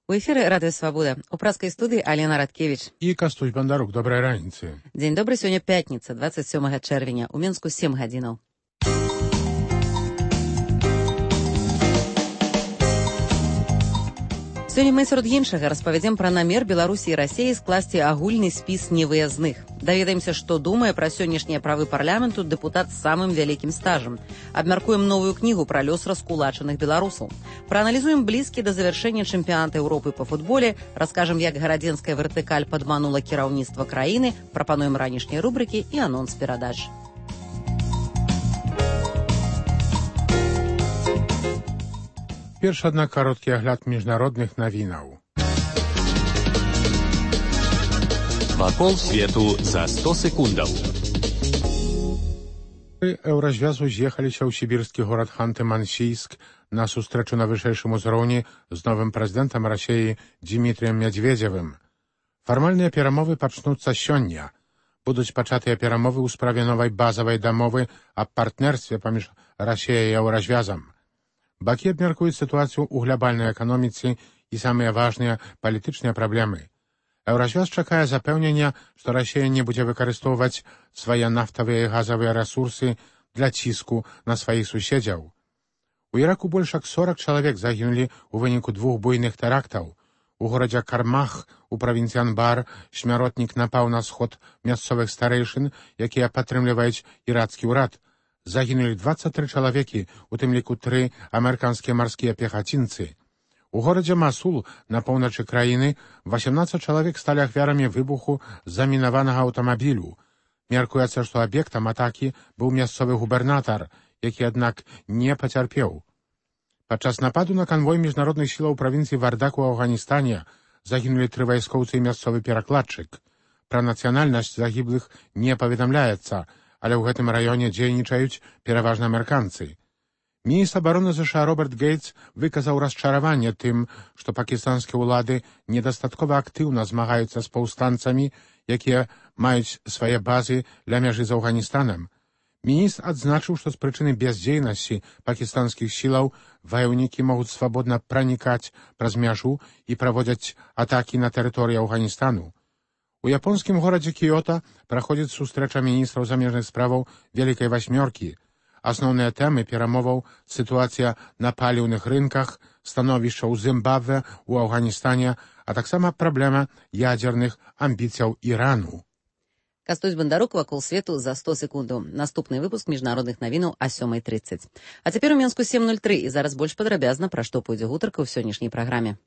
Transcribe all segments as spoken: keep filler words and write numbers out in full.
У эфіры Радыё Свабода. У праскай студыі Алена Радкевіч. І Кастусь Бандарук. Добрай раніцы. Дзень добры, сёння пятніца, дваццаць сёмага чэрвеня. У Мінску сем гадзінаў. Сёння мы сярод іншага распавядзем пра намер Беларусі і Расіі скласці агульны спіс невыязных. Даведаемся, што думае пра сённяшнія правы парламенту дэпутат з самым вялікім стажам. Абмяркуем новую кнігу пра лёс раскулачаных беларусаў. Прааналізуем блізкі да завяршэння чэмпіяната Еўропы па футболе, раскажам, як гарадзенская вертыкаль падманула кіраўніцтва краіны, прапануем ранішнія рубрыкі і анонс перадач. Перш, аднак, кароткі агляд міжнародных навінаў. Вакол свету за сто секундаў. Еўразвязу з'ехаліся ў сібірскі горад Ханты-Мансійск на сустрэчу на вышэйшым узроўні з новым прэзідэнтам Расіі Дзімітрыем Мядзведзевым. Фармальныя перамовы пачнуцца сёння. Будуць пачатыя перамовы ў справе новай базавай дамовы аб партнерстве паміж Расіяй і Еўразвязам. Бакі абмяркуюць сітуацыю ў глобальнай эканоміцы і самыя важныя палітычныя праблемы. Еўразвяз чакае запэўнення, што Расія не будзе выкарыстоўваць свае нафтавыя і газавыя рэсурсы для ціску на сваіх суседзяў. У Іраку больш як сорак чалавек загінулі ў выніку двух буйных тэрактаў. У горадзе Кармах у правінцыі Анбар смяротнік напаў на сход мясцовых старэйшын, якія падтрымліваюць ірацкі ўрад. Загінулі дваццаць тры чалавекі, у тым ліку тры амерыканскія марскія пехацінцы. У горадзе Масул на поўначы краіны васямнаццаць чалавек сталі ахвярамі выбуху замінаванага аўтамабілю. Мяркуецца, што аб'ектам атакі быў мясцовы губернатар, які, аднак, не пацярпеў. Падчас нападу на канвой міжнародных сілаў правінцыі Вардак у Афганістане загінулі тры вайскоўцы і мясцовы перакладчык. Пра нацыянальнасць загіблых не паведамляецца, але ў гэтым раёне дзейнічаюць пераважна амерыканцы. Міністр абароны ЗША Роберт Гейтс выказаў расчараванне тым, што пакістанскія ўлады недастаткова актыўна змагаюцца з паўстанцамі, якія маюць свае базы ля мяжы з Афганістанам. Міністр адзначыў, што з прычыны бяздзейнасці пакістанскіх сілаў ваяўнікі могуць свабодна пранікаць праз мяжу і праводзяць атакі на тэрыторыі Афганістану. У японскім горадзе Кіёта праходзіць сустрэча міністраў замежных справаў Вялікай Васьмёркі. Асноўныя тэмы перамоваў — сітуацыя на паліўных рынках, становішча ў Зімбабве, у Афганістане, а таксама праблема ядзерных амбіцыяў Ірану. Кастусь Бандарук, вакол свету за сто секундаў. Наступны выпуск міжнародных навінаў а сёмай трыццаць. А цяпер у Мінску сем нуль тры, і зараз больш падрабязна, пра што пойдзе гутарка ў сённяшняй праграме.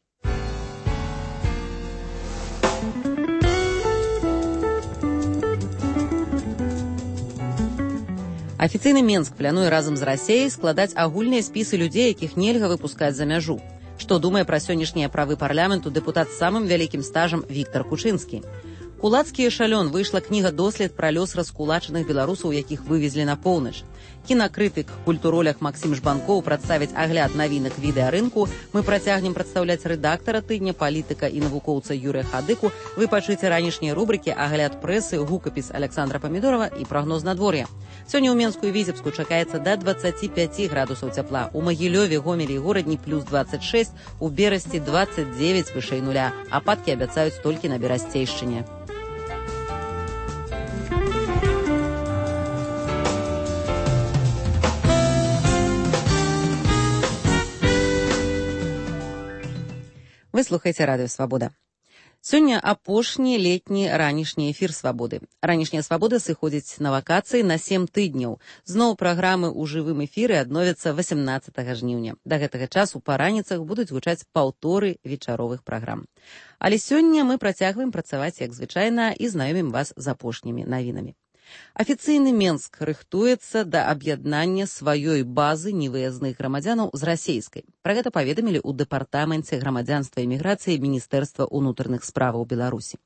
Афіцыйны Менск плануе разам з Расіяй складаць агульныя спісы людзей, якіх нельга выпускаць за мяжу. Што думае пра сённяшнія правы парламенту дэпутат з самым вялікім стажам Віктар Кучынскі. Кулацкі эшалён выйшла кніга-дослед пра лёс раскулачаных беларусаў, якіх вывезлі на поўнач. Кінакрытык, культуролях Максім Жбанкоў прадставіць агляд навінак відэарынку. Мы працягнем прадстаўляць рэдактара тыдня, палітыка і навукоўца Юрыя Хадыку. Вы пачуеце ранішнія рубрыкі, агляд прэсы, гукапіс Александра Памідорова і прагноз надвор'я. Сёння ў Менску і Віцебску чакаецца да дваццаці пяці градусаў цяпла. У Магілёве, Гомелі і Горадні плюс дваццаць шэсць, у Берасці дваццаць дзевяць вышэй нуля. Ападкі абяцаюць толькі на Берасцейшчыне. Вы слухаеце Радыё Свабода. Сёння апошні летні ранішні эфір Свабоды. Ранішняя Свабода сыходзіць на вакацыі на сем тыдняў. Зноў праграмы ў жывым эфіры адновяцца васямнаццатага жніўня. Да гэтага часу па раніцах будуць гучаць паўторы вечаровых праграм. Але сёння мы працягваем працаваць, як звычайна, і знаёмім вас з апошнімі навінамі. Афіцыйны Менск рыхтуецца да аб'яднання сваёй базы невыязных грамадзянаў з расейскай. Пра гэта паведамілі ў дэпартаменце грамадзянства і міграцыі Міністэрства ўнутраных справаў Беларусі.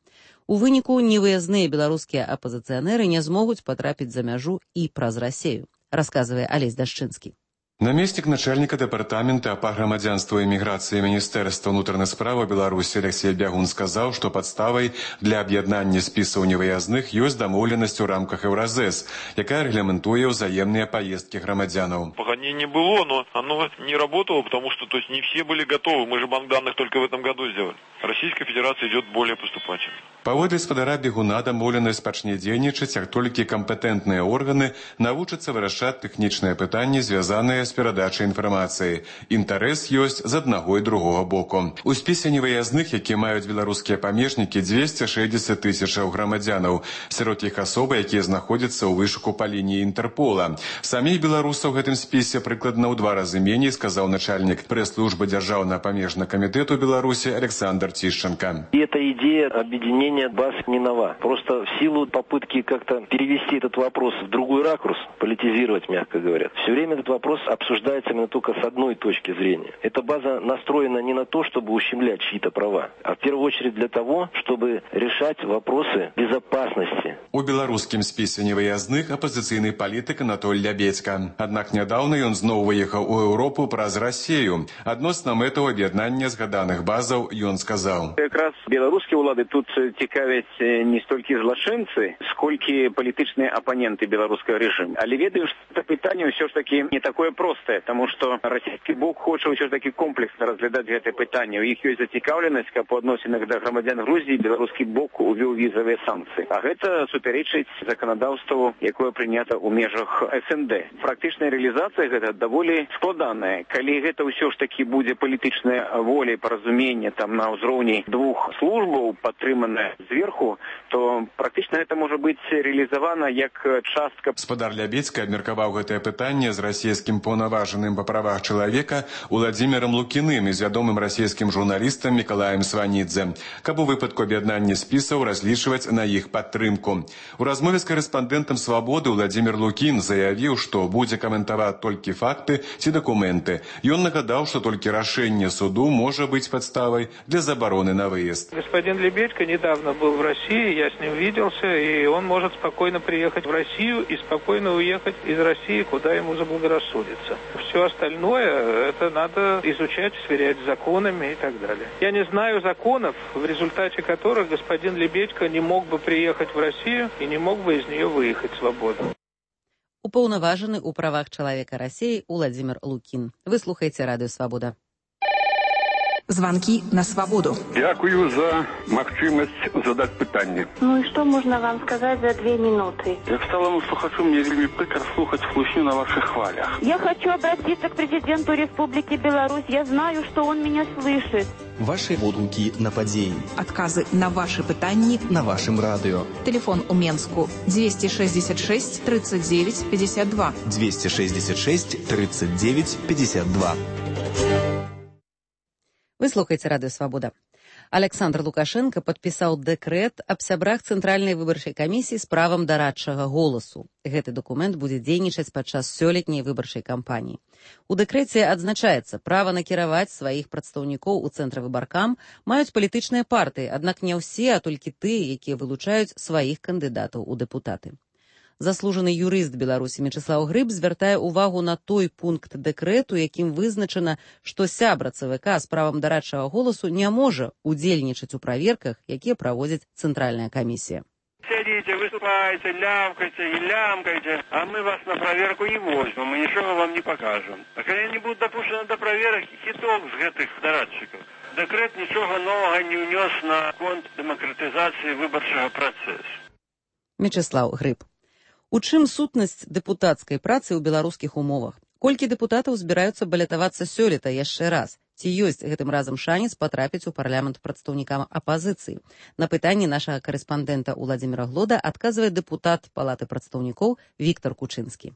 У выніку невыязныя беларускія апазіцыянеры не змогуць патрапіць за мяжу і праз Расею, расказвае Алесь Дашчынскі. Намеснік начальніка дэпартамента па грамадзянству і міграцыі Міністэрства ўнутраных справаў Беларусі Алексей Бягун сказаў, што падставай для аб'яднання спісаў невыязных ёсць дамоўленасць у рамках Еўразэс, якая рэгламентуе ўзаемныя паездкі грамадзянаў. Погоди не было, но оно не работало, потому что то есть, не все были готовы. Мы же банк данных только в этом году сделали. Российская Федерация идет более поступательно. Паводле спадара Бягуна дамоўленасць пачне дзейнічаць, як толькі кампетэнтныя органы навучацца вырашаць тэхнічныя пытанні, звязаныя з перадачай інфармацыі. Інтарэс ёсць з аднаго і другога боку. У спісе невыязных, які маюць беларускія памежнікі, дзвесце шэсцьдзесят тысячаў грамадзянаў. Сярод іх асобы, якія знаходзяцца ў вышуку па лініі Інтэрпола. Саміх беларусаў у гэтым спісе прыкладна ў два разы меней, сказаў начальнік прэс-службы Дзяржаўнага памежнага камітэту Беларусі Александр Тищенко. И эта идея объединения баз не нова. Просто в силу попытки как-то перевести этот вопрос в другой ракурс, политизировать, мягко говоря, все время этот вопрос обсуждается именно только с одной точки зрения. Эта база настроена не на то, чтобы ущемлять чьи-то права, а в первую очередь для того, чтобы решать вопросы безопасности. У беларускім спісе невыязных апозіцыйны палітык Анатоль Лябедзька. Аднак нядаўна ён зноў выехаў у Еўропу праз Расію. Адносна мэтаў аб'яднання згаданых базаў ён сказаў. Якраз беларускія ўлады тут цікавяць не столькі злачынцы, сколькі палітычныя апаненты беларускага рэжыму. Але ведаю, што это пытанне ўсё ж таки не такое простае, таму што расійскі бок хоча ўсё ж таки комплексна разглядаць гэтае пытанне. У іх ёсць зацікаўленасць, каб у адносінах да грамадзян Грузіі беларускі бок увёў візавыя санкцыі. А гэта супярэчыць заканадаўству, якое прынята ў межах эс эн дэ. Практычная рэалізацыя гэта даволі складаная. Калі гэта ўсё ж таки будзе палітычная воля і паразуменне там на ўзроўні двух службаў, падтрыманая зверху, то практычна гэта можа быць рэалізавана як частка. Спадар Лябедзька абмеркаваў гэтае пытанне з расійскім паўнаважаным па правах чалавека Уладзімірам Лукіным і з вядомым расійскім журналістам Мікалаем Сванідзе, каб у выпадку аб'яднання спісаў разлічваць на іх падтрымку. У размове з корэспандэнтам «Свабоды» Уладзімір Лукін заявіў, што будзе каментаваць толькі факты ці дакументы. Ён нагадаў, што толькі рашэнне суду можа быть подставой для забороны на выезд. Господин Лебедько недавно был в России, я с ним виделся, и он может спокойно приехать в Россию и спокойно уехать из России, куда ему заблагорассудится. Все остальное, это надо изучать, сверять с законами и так далее. Я не знаю законов, в результате которых господин Лебедько не мог бы приехать в Россию и не мог бы из нее выехать свободно. Упаўнаважаны ў правах чалавека Расіі Уладзімір Лукін. Вы слухаеце радыё «Свабода». Звонки на свободу. Дякую за магчымасць задаць пытанне. Ну и что можно вам сказать за две минуты? Як сталому слухачу, мне вельмі прыкра слухаць хлусню на ваших хвалях. Я хочу обратиться к президенту Республики Беларусь. Я знаю, что он меня слышит. Ваши водгукі на падзеі. Адказы на ваши пытанні на вашым радыё. Телефон у Менску двести шестьдесят шесть тридцать девять пятьдесят два. двести шестьдесят шесть тридцать девять пятьдесят два. Вы слухаеце радыё «Свабода». Александр Лукашенко падпісаў дэкрэт аб сябрах Цэнтральнай выбарчай камісіі з правам дарадчага голасу. Гэты дакумент будзе дзейнічаць падчас сёлетняй выбарчай кампаніі. У дэкрэце адзначаецца, права накіраваць сваіх прадстаўнікоў у цэнтравыбаркам маюць палітычныя партыі, аднак не ўсе, а толькі тыя, якія вылучаюць сваіх кандыдатаў у дэпутаты. Заслужаны юрыст Беларусі Мячэслаў Грыб звяртае ўвагу на той пункт дэкрэту, якім вызначана, што сябра ЦВК з правам дарадчага голасу не можа удзельнічаць у праверках, якія праводзіць Цэнтральная камісія. Сядите, выступайте, лямкайте и лямкайте, а мы вас на проверку не возьмем, мы ничего вам не покажем. А когда не будут допущены до проверок, итог с этих дорадчиков. Декрет ничего нового не унес на конт демократизации выборчего процесса. Мячэслаў Грыб. У чым сутнасць дэпутацкай працы ў беларускіх умовах? Колькі дэпутатаў збіраюцца балятавацца сёлета яшчэ раз? Ці ёсць гэтым разам шанец патрапіць у парламент прадстаўнікам апазіцыі? На пытанні нашага карэспандэнта Уладзіміра Глода адказвае дэпутат Палаты прадстаўнікоў Віктар Кучынскі.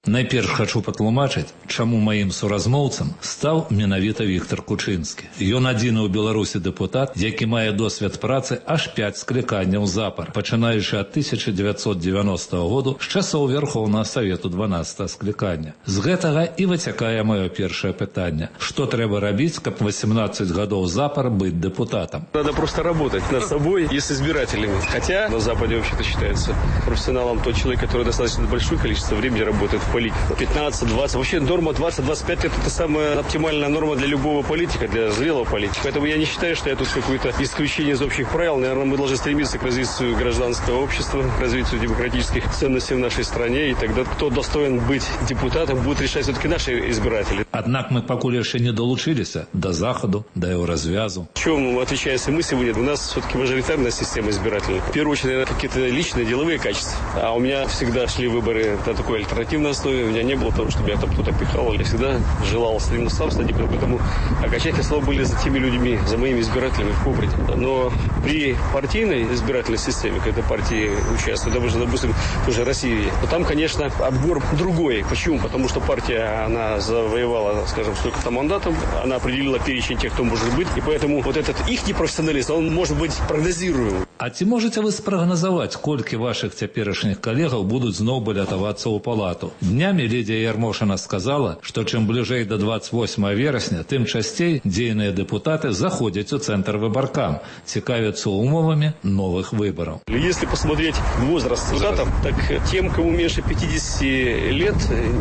Найперш хачу патлумачыць, чаму маім суразмоўцам стаў менавіта Віктар Кучынскі. Ён адзіны ў Беларусі дэпутат, які мае досвед працы аж пяць скліканняў запар, пачынаючы ад тысяча дзевяцьсот дзевяностага году з часоў Верхоўнага Савету дванаццатага склікання. З гэтага і выцякае маё першае пытанне. Што трэба рабіць, каб восемнадцать гадоў запар быць депутатом? Надо просто работать над собой и с избирателями. Хотя на Западе вообще-то считается профессионалом тот человек, который достаточно большое количество времени работает в политиков. пятнадцать, двадцать. Вообще норма двадцать-двадцать пять лет – это самая оптимальная норма для любого политика, для зрелого политика. Поэтому я не считаю, что я тут какое-то исключение из общих правил. Наверное, мы должны стремиться к развитию гражданского общества, к развитию демократических ценностей в нашей стране. И тогда кто достоин быть депутатом, будут решать все-таки наши избиратели. Однако мы пока еще не долучились до Заходу, до его развязу. В чем отличаемся мы сегодня? У нас все-таки мажоритарная система избирательная. В первую очередь, какие-то личные деловые качества. А у меня всегда шли выборы на такой альтернативной основе. У меня не было того, чтобы я там кто-то пихал. Я всегда желал именно сам стать депутатом. Поэтому окончательные слова были за теми людьми, за моими избирателями в Кубрате. Но при партийной избирательной системе, когда партии участвуют, допустим, тоже России, то там, конечно, отбор другой. Почему? Потому что партия, она завоевала, скажем, столько-то мандатов, она определила перечень тех, кто может быть, и поэтому вот этот их непрофессионализм, он может быть прогнозируемым. А ці можете вы спрагназаваць, колькі ваших цяперашніх калегаў будуць зноў балятавацца ў палату? Днямі Лідія Ярмошина сказала, што чым бліжэй до двадцать восьмого верасня, тым часцей дзейныя депутаты заходзяць у центр выбаркам, цікавяцца умовамі новых выборов. Если посмотреть возраст депутатов, так тем, кому меньше пятидесяти лет,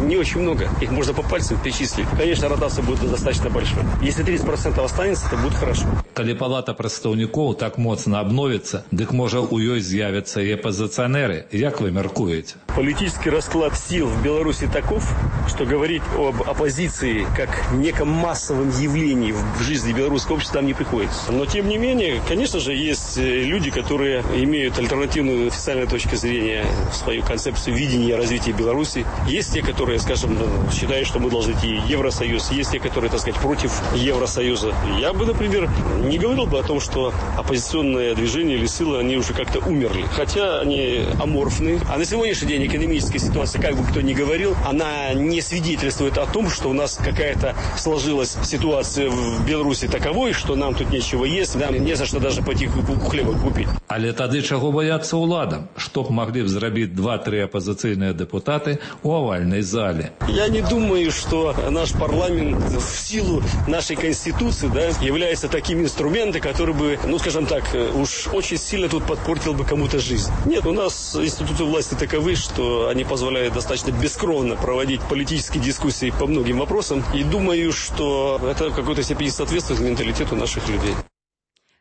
не очень много. Их можно по пальцам перечислить. Конечно, ротация будет достаточно большой. Если тридцать процентов останется, то будет хорошо. Калі палата прадстаўнікоў так моцна обновится, дык можа у ёй з'явятся и оппозиционеры. Як вы меркуете? Политический расклад сил в Беларуси таков, что говорить об оппозиции как неком массовом явлении в жизни белорусского общества там не приходится. Но тем не менее, конечно же, есть люди, которые имеют альтернативную официальную точку зрения, свою концепцию видения развития Беларуси. Есть те, которые, скажем, считают, что мы должны идти в Евросоюз. Есть те, которые, так сказать, против Евросоюза. Я бы, например, не говорил бы о том, что оппозиционное движение или силы, они уже как-то умерли. Хотя они аморфны. А на сегодняшний день экономическая ситуация, как бы кто ни говорил, она не свидетельствует о том, что у нас какая-то сложилась ситуация в Беларуси таковой, что нам тут нечего есть, нам не за что даже пойти хлеба купить. Але тады чаго бояться уладам? Што б могли б зрабіць два-три оппозиционные депутаты у овальной зале? Я не думаю, что наш парламент в силу нашей конституции, да, является таким инструментом, который бы, ну скажем так, уж очень сильно тут подпортил бы кому-то жизнь. Нет, у нас институты власти таковы, что они позволяют достаточно бескровно проводить политические дискуссии по многим вопросам. И думаю, что это в какой-то степени соответствует менталитету наших людей.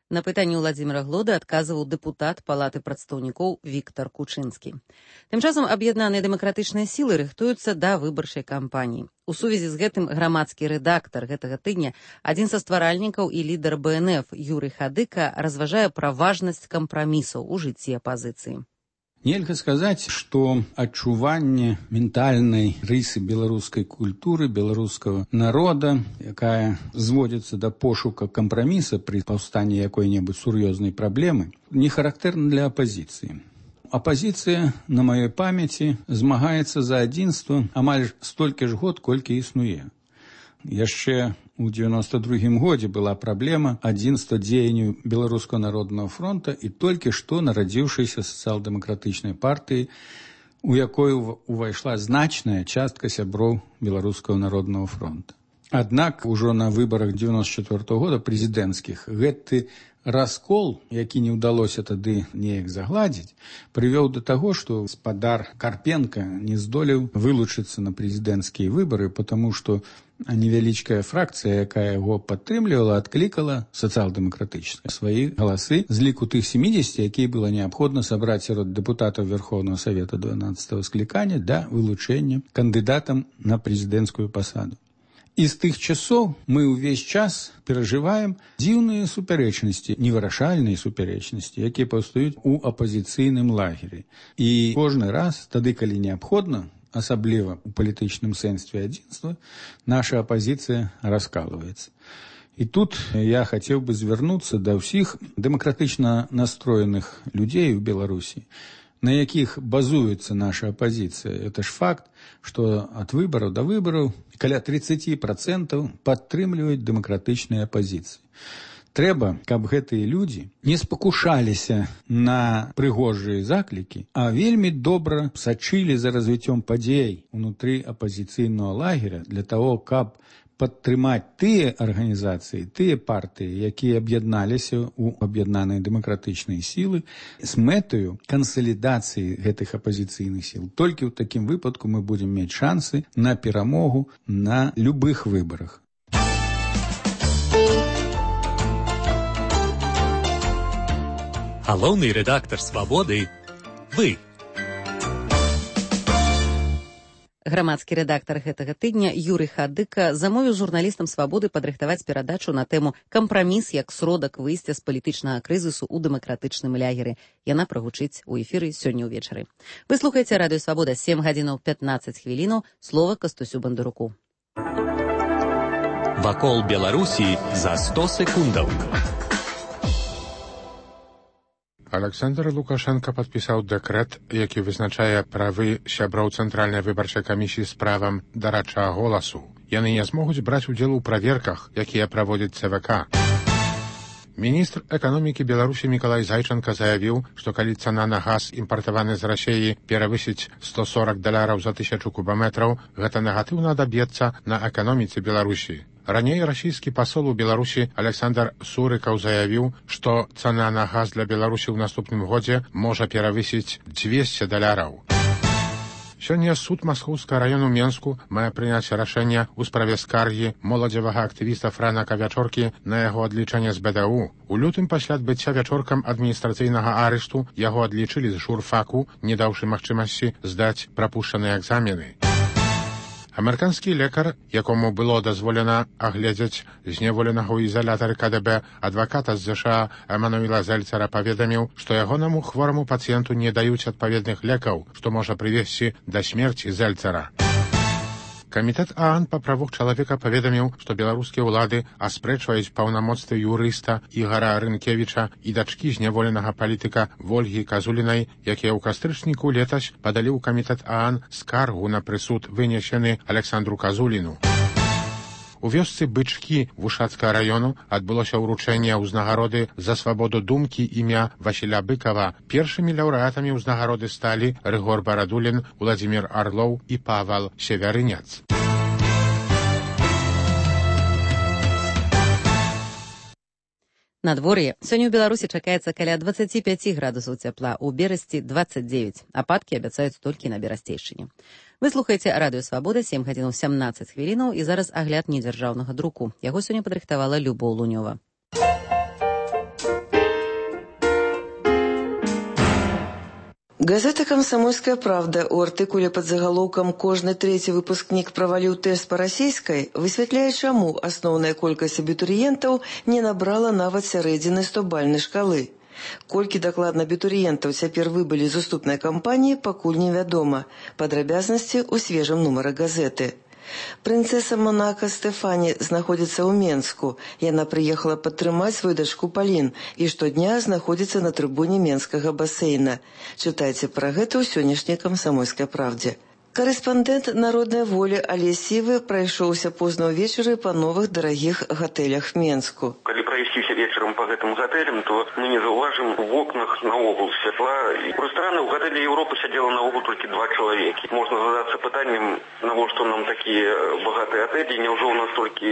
На пытанні Владзіміра Глоды адказваў дэпутат палаты прадстаўнікоў Віктар Кучынскі. Тым часам аб'яднаныя дэмакратычныя сілы рыхтуюцца да выбарчай кампаніі. У сувязі з гэтым грамадскі рэдактар гэтага тыдня, адзін са стваральнікаў і лідар бэ эн эф Юрый Хадыка разважае пра важнасць кампрамісаў у жыцці апазіцыі. Нельга сказаць, што адчуванне ментальнай рысы беларускай культуры, беларускага народа, якая зводзіцца да пошука кампраміса пры паўстанні якой-небудзь сур'ёзнай праблемы, не характэрна для апазіцыі. Апазіцыя, на маёй памяці, змагаецца за адзінства амаль столькі ж год, колькі існуе. Яшчэ у девяносто другім годзе была праблема адзінства дзеянняў Беларускага народнага фронта і толькі што нарадзіўшейся сацыял-дэмакратычнай партыі, у якой увайшла значная частка сяброў Беларускага народнага фронта. Аднак ужо на выбарах девяносто четвёртого года прэзідэнцкіх гэты раскол, які не ўдалося тады неяк загладзіць, прывёў да таго, што гаспадар Карпенка не здолеў вылучыцца на прэзідэнцкія выбары, потому што невялічкая фракцыя, якая яго падтрымлівала, адклікала сацыял-дэмакратычна свае галасы з ліку тых семидесяти, якія было неабходна сабраць сярод дэпутатаў Верховнага Савета дванаццатого склікання да вылучэння кандыдатам на прэзідэнцкую пасаду. І з тых часоў мы ўвесь час перажываем дзіўныя супярэчнасці, невырашальныя супярэчнасці, якія паўстаюць у апазіцыйным лагеры. І кожны раз, тады, калі неабходна, асабліва у палітычным сэнсе адзінства, наша апазіцыя раскалываецца. І тут я хацеў бы звярнуцца да ўсіх дэмакратычна настроеных людзей у Беларусі, на якіх базуецца наша апазіцыя. Это ж факт, што ад выбараў да выбараў каля тридцать процентов падтрымліваюць дэмакратычныя апазіцыі. Трэба, каб гэтыя людзі не спакушаліся на прыгожыя заклікі, а вельмі добра сачылі за развіццём падзей унутры апазіцыйнага лагеря для того, каб падтрымаць тыя арганізацыі, тыя партыі, якія аб'ядналіся ў аб'яднаныя дэмакратычныя сілы з мэтаю кансалідацыі гэтых апазіцыйных сіл. Толькі ў такім выпадку мы будзем мець шансы на перамогу на любых выбарах. Галоўны рэдактар «Свабоды» – вы. Грамадскі рэдактар гэтага тыдня Юрый Хадыка замовіў журналістам «Свабоды» падрыхтаваць перадачу на тэму «Кампраміс як сродак выйсця з палітычнага крызісу ў дэмакратычным лягеры». Яна прагучыць у эфіры сёння ўвечары. Вы слухаеце радыё «Свабода», сем гадзінаў пятнаццаць хвілінаў, слова Кастусю Бандаруку. Вакол Беларусі за сто секундаў. Александр Лукашенко падпісаў дэкрэт, які вызначае правы сяброў Цэнтральнай выбарчай камісіі з правам дарачага голасу. Яны не змогуць браць удзел у праверках, якія праводзіць цэ вэ ка. Міністр эканомікі Беларусі Мікалай Зайчанка заявіў, што калі цана на газ, імпартаваны з Расіі, перавысіць сто сорок даляраў за тысячу кубаметраў, гэта негатыўна адаб'ецца на эканоміцы Беларусі. Раней расійскі пасол у Беларусі Александр Сурыкаў заявіў, што цана на газ для Беларусі ў наступным годзе можа перавысіць дзвесце даляраў. Сёння суд Маскоўскага раёну Менску мае прыняць рашэнне ў справе скаргі моладзевага актывіста Франака Вячоркі на яго адлічэнне з бэ дэ у. У лютым пасля адбыцця Вячоркам адміністрацыйнага арышту яго адлічылі з журфаку, не даўшы магчымасці здаць прапушчаныя экзамены. Амерыканскі лекар, якому было дазволена агледзець зневоленага ў ізалятары ка дэ бэ адваката з зэ ша а Эмануэла Зельцара, паведаміў, што ягонаму хвораму пацыенту не даюць адпаведных лекаў, што можа прывесці да смерці Зельцара. Камітэт а ан па правах чалавека паведаміў, што беларускія ўлады аспрэчваюць паўнамоцтвы юрыста Ігара Рынкевіча і дачкі зняволенага палітыка Вольгі Казулінай, якія ў кастрычніку летась падалі ў камітэт а ан скаргу на прысуд, вынесены Александру Казуліну. У вёсцы Бычкі Вушацкага раёну адбылося ўручэнне ўзнагароды за свабоду думкі імя Васіля Быкава. Першымі лаўрэатамі ўзнагароды сталі Рыгор Барадулін, Владзімір Арлоў і Павал Севярыняц. Надвор'е. Сёння ў Беларусі чакаецца каля дваццаць пяць градусаў цяпла, у Берасці дваццаць дзевяць. Ападкі абяцаюць толькі на Берасцейшчыне. Вы слухаеце радыё «Свабода», сем гадзінаў сямнаццаць хвілінаў, і зараз агляд недзяржаўнага друку. Яго сёння падрыхтавала Любоў Лунёва. Газета «Комсомольская правда» у артыкуле под заголовком «Кожны третий выпускник провалил тест по расійскай» высвятляе, чаму асноўная колькасць абітурыентаў не набрала нават сярэдзіны стобальнай шкалы. Колькі дакладна абітурыентаў цяпер выбылі з уступнай кампаніі, пакуль невядома. Падрабязнасці ў свежым нумары газеты. Прынцэса Монака Стэфані знаходзіцца ў Менску. Яна прыехала падтрымаць сваю дачку Палін і штодня знаходзіцца на трыбуне менскага басейна. Чытайце пра гэта ў сённяшняй «Комсомольскай правде». Корэспандэнт «Народнай волі» Алесь Сівы прайшоўся позна ўвечары па новых дарагіх гатэлях Менску. Калі прайсціся вечарам па гэтым гатэлям, то мы не заўважым у вокнах наогул святла. І проста рана ў гатэлі Еўропы сядзела наогул толькі два чалавекі. Можна задацца пытаннем, навошта нам такія багатыя гатэлі, няўжо ў нас толькі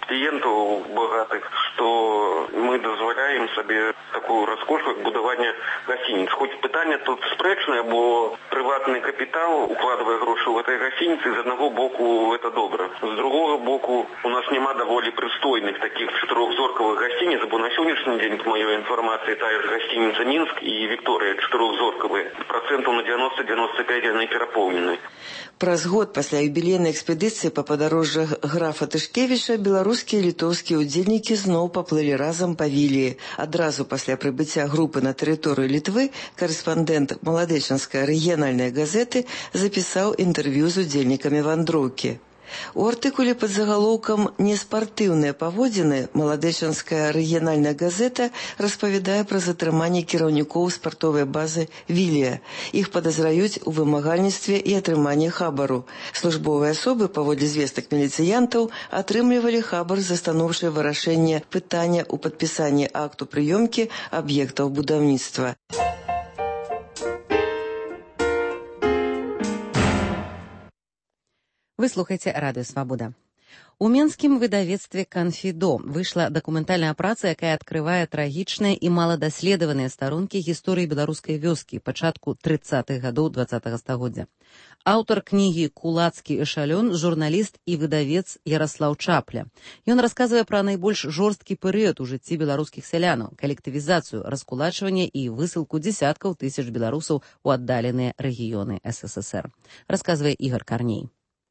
кліентаў багатых, што мы дазваляем сабе такую раскош, як будаванне гасцініц. Хоць пытанне тут спрэчнае, бо прыватны капітал укладвае грошы в этой гостинице, из одного боку это добро. С другого боку у нас нема довольно пристойных таких четырехзорковых гостиниц, бо на сегодняшний день, по моей информации, та же гостиница Минск и Виктория четырехзорковые. Процентов на девяносто-девяносто пять они переполнены. Праз год пасля юбілейнай экспедыцыі па падарожжах графа Тышкевіча беларускія і літоўскія ўдзельнікі зноў паплылі разам па Віліі. Адразу пасля прыбыцця групы на тэрыторыю Літвы корэспандэнт маладэчанскай рэгіянальнай газеты запісаў інтэрв'ю з удзельнікамі вандроўкі. У артыкуле пад загалоўкам «Неспартыўныя паводзіны» маладэчанская рэгіянальная газета распавядае пра затрыманне кіраўнікоў спартовай базы «Вілія». Іх падазраюць у вымагальніцтве і атрыманні хабару. Службовыя асобы, паводле звестак міліцыянтаў, атрымлівалі хабар за станоўчае вырашэнне пытання ў падпісанні акту прыёмкі аб'ектаў будаўніцтва. Вы слухаеце радыё «Свабода». У менскім выдавецтве «Канфідо» выйшла дакументальная праца, якая адкрывае трагічныя і маладаследаваныя старонкі гісторыі беларускай вёскі пачатку трыццатых гадоў дваццатага стагоддзя. Аўтар кнігі «Кулацкі эшалён» журналіст і выдавец Яраслаў Чапля. Ён расказвае пра найбольш жорсткі перыяд у жыцці беларускіх сялянаў, калектывізацыю, раскулачванне і высылку дзесяткаў тысяч беларусаў у аддаленыя рэгіёны эс эс эс эр. Расказвае Ігор Карней.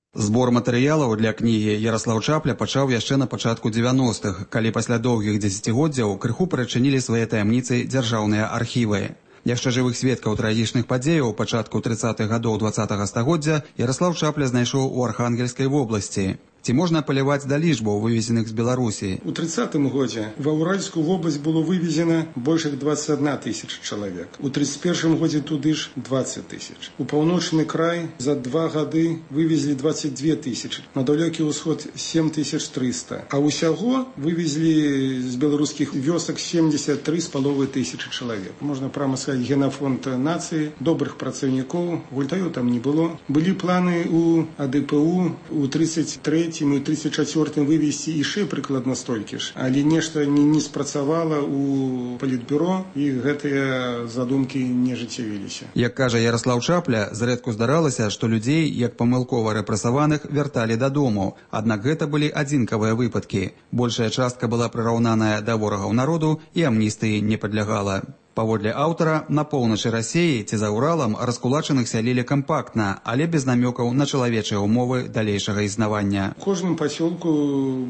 Збор матэрыялаў для кнігі Яраслаў Чапля пачаў яшчэ на пачатку дзевяностых, калі пасля доўгіх дзесяцігоддзяў крыху прачынілі свае таямніцы дзяржаўныя архівы. Яшчэ жывых сведкаў трагічных падзеяў пачатку трыццатых гадоў дваццатага стагоддзя Яраслаў Чапля знайшоў у Архангельскай вобласці. Ці можна апаляваць да лічбаў, вывезеных з Беларусі? У трыццатым годзе ва Уральскую вобласць было вывезена больш як дваццаць адна тысяча чалавек. У тридцать первом годзе туды ж двадцать тысяч. У паўночны край за два гады вывезли двадцать две тысячи. На далёкі ўсход семь тысяч триста. А ўсяго вывезли з беларускіх вёсак семьдесят три с половиной тысячи чалавек. Можна прямо сказаць, генафонд нацыі, добрых працаўнікоў, гультаёў там не было. Былі планы у а дэ пэ у у тридцать третьем і ў тридцать четвёртым вывезці яшчэ прыкладна столькі ж, але нешта не, не спрацавала у палітбюро і гэтыя задумкі не жыццявіліся. Як кажа Яраслаў Чапля, зрэдку здаралася, што людзей, як памылкова рэпрэсаваных, вярталі дадому. Аднак гэта былі адзінкавыя выпадкі. Большая частка была прыраўнаная да ворагаў народу і амністыі не падлягала. Паводле аўтара, на поўначы Расіі ці за Уралам раскулачаных сялілі кампактна, але без намёкаў на чалавечыя ўмовы далейшага існавання. У кожным пасёлку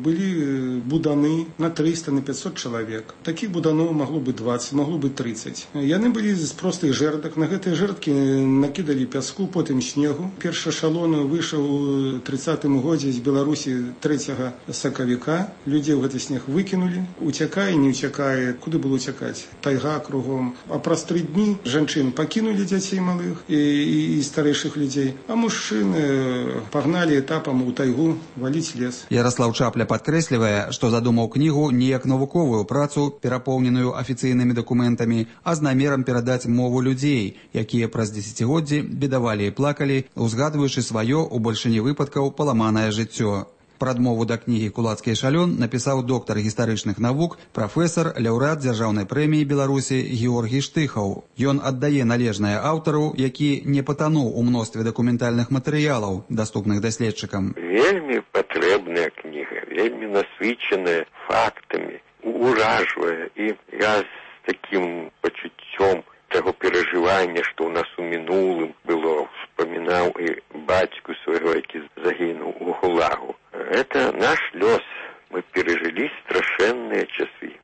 былі буданы на триста, на пятьсот чалавек. Такіх буданоў магло бы двадцать, магло бы тридцать. Яны былі з простых жэрдак. На гэтыя жэрдкі накідалі пяску, потым снегу. Першы эшалон выйшаў у трыццатым годзе з Беларусі трэцяга сакавіка. Людзей у гэты снег выкінулі. Уцякае, не уцякае. Куды было уцякаць? Тайга кругом. А праз тры дні жанчын пакінулі дзяцей малых і, і, і старэйшых людзей, а мужчыны пагналі этапам у тайгу валіць лес. Яраслаў Чапля падкрэслівае, што задумаў кнігу не як навуковую працу, перапоўненую афіцыйнымі дакументамі, а з намерам перадаць мову людзей, якія праз дзесяцігоддзі бедавалі і плакалі, узгадваючы сваё у большыні выпадкаў паламанае жыццё. Прадмову да кнігі «Кулацкі эшалён» напісаў доктар гістарычных навук, прафесар, лаўрэат дзяржаўнай прэміі Беларусі Георгій Штыхаў. Ён аддае належнае аўтару, які не патануў у мностве дакументальных матэрыялаў, даступных даследчыкам. Вельмі патрэбная кніга, вельмі насычаная фактамі, уражвае. І я з такім пачуццём таго перажывання, што ў нас у мінулым было, вспамінаў і бацьку свайго, які загінуў у Гулагу. Это наш лёс. Мы пережили страшэнныя часы.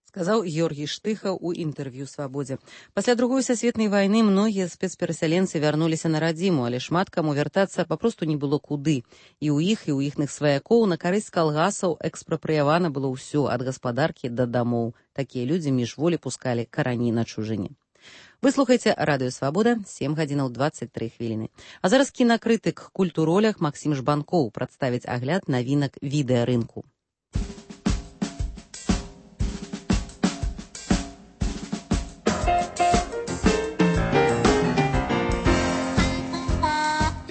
Сказаў Георгій Штыхаў у інтэрв'ю «Свабодзе». Пасля другой сусветнай вайны многія спецперасяленцы вярнуліся на радзіму, але шмат каму вяртацца папросту не было куды. І ў іх, і ў іхных сваякоў на карысць калгасаў экспрапрыявана было ўсё, ад гаспадаркі да дамоў. Такія людзі міжволі пускалі карані на чужыне. Вы слухаеце радыё «Свабода», сем гадзінаў дваццаць тры хвіліны. А зараз кінакрытык «Культуролях» Максім Жбанкоў прадставіць агляд навінак відэарынку.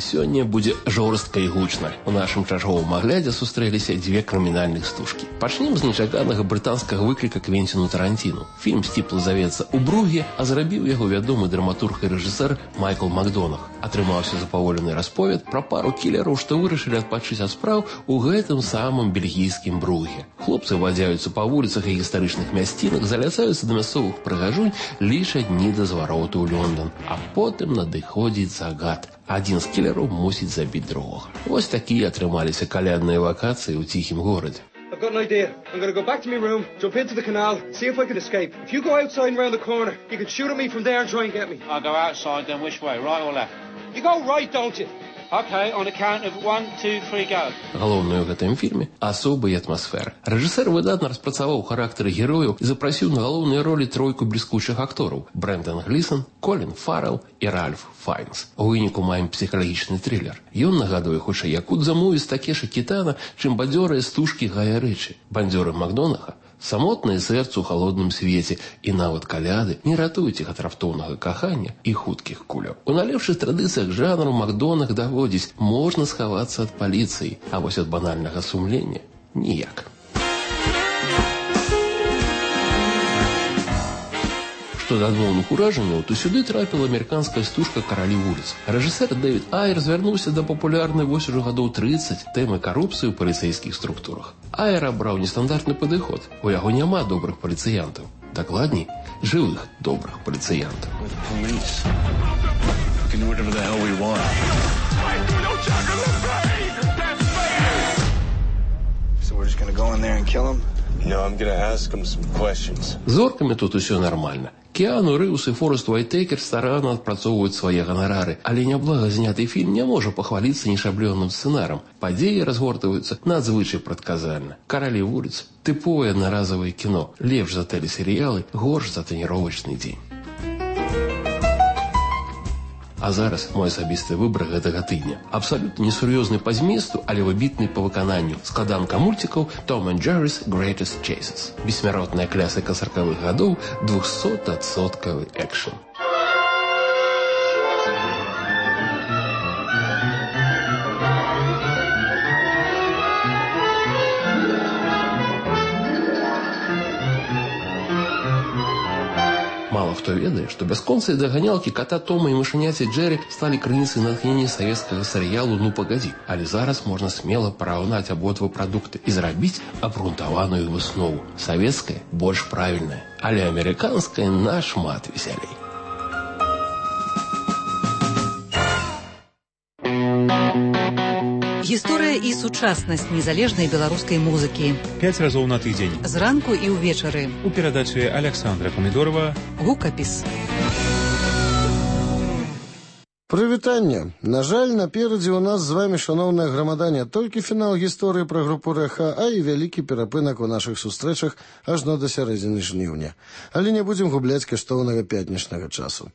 Сёння будзе жорстка і гучна. У нашым чарговым аглядзе сустрэліся дзве крымінальных стужкі. Пачнем з нечаканага брытанскага выкліка Квенціну Тарантіну. Фільм сціпла завецца ў Бругі, а зрабіў яго вядомы драматург і рэжысэр Майкл Макдонах. Атрымаўся запаволены расповед пра пару кілераў, што вырашылі адпачыць ад спраў у гэтым самым бельгійскім Бругі. Хлопцы вадзяюцца па вуліцах і гістарычных мясцінах, заляцаюцца да мясцовых прыгажунь, лічаць дні да звароту ў Лондон. А потым надыходзіць загад. Адзін з кілераў мусіць забіць другога. Вось такія атрымаліся калядныя вакацыі ў ціхім горадзе. I've got an idea. I'm going to go back to my room, jump into the canal, see if I can escape. If you go outside and round the corner, you can shoot at me from there and try and get me. I'll go outside, then which way, right or left? You go right, don't you? Okay, on the count of one, two, three, go. Галоўную ў гэтым фільме асоба і атмасфера. Рэжысэр выдатна распрацаваў характары герояў і запрасіў на галоўныя ролі тройку бліскучых актораў: Брэндан Глісон, Колін Фаррелл і Ральф Файнс. У выніку маем псіхалагічны трылер. Ён нагадуе хутчэй якудза-муві з Такеші Кітана, чым бадзёрыя стужкі Гая Рычы. Бандзёры Макдонаха самотнае сэрцу ў халодным свеце і нават каляды не ратуюць іх ад раптоўнага кахання і хуткіх куляў. У налепшых традыцыях жанру Макдонах даводзіць, можна схавацца ад паліцыі, а вось ад банальнага сумлення ніяк. Што да адмоўных уражанняў, то сюды трапіла амерыканская стужка «Каралі вуліц». Рэжысэр Дэвід Айер звярнуўся да папулярнай вось ужо гадоў трыццаць тэмы карупцыі ў паліцэйскіх структурах. Айер абраў нестандартны падыход. У яго няма добрых паліцыянтаў. Дакладней, жывых добрых паліцыянтаў. Зоркамі тут усё нармальна. Кіану Рыўс і Форест Уайтекер старанна адпрацоўваюць свае ганарары, але няблага зняты фільм не можа пахваліцца нешаблёным сцэнарам. Падзеі разгортваюцца надзвычай прадказальна. «Каралі вуліц» – тыповае аднаразавае кіно, лепш за тэлесерыялы, горш за трэніровачны дзень. А зараз мой асабісты выбар гэтага тыдня. Абсалютна несур'ёзны па зместу, але выбітны па выкананню складанка мульцікаў «Tom and Jerry's Greatest Chases». Бессмяротная класіка саркавых гадоў, двухсотадсоткавы экшн. Мало хто ведае, што бясконцыя даганялкі ката Тома і мышаняці Джерри сталі крыніцай натхнення савецкага серыялу «Ну пагадзі». Але зараз можна смела параўнаць абодва прадукты і зрабіць абгрунтаваную выснову. Савецкая больш правільная, але амерыканская нашмат весялей. Гісторыя і сучаснасць незалежнай беларускай музыкі. Пяць разоў на тыдзень. Зранку і ўвечары. У перадачы Александра Памідорова «Гукапіс». Прывітанне. На жаль, наперадзе ў нас з вамі, шаноўная грамада, не толькі фінал гісторыі пра групу Рэха, а і вялікі перапынак у нашых сустрэчах ажно да сярэдзіны жніўня. Але не будзем губляць каштоўнага пятнічнага часу.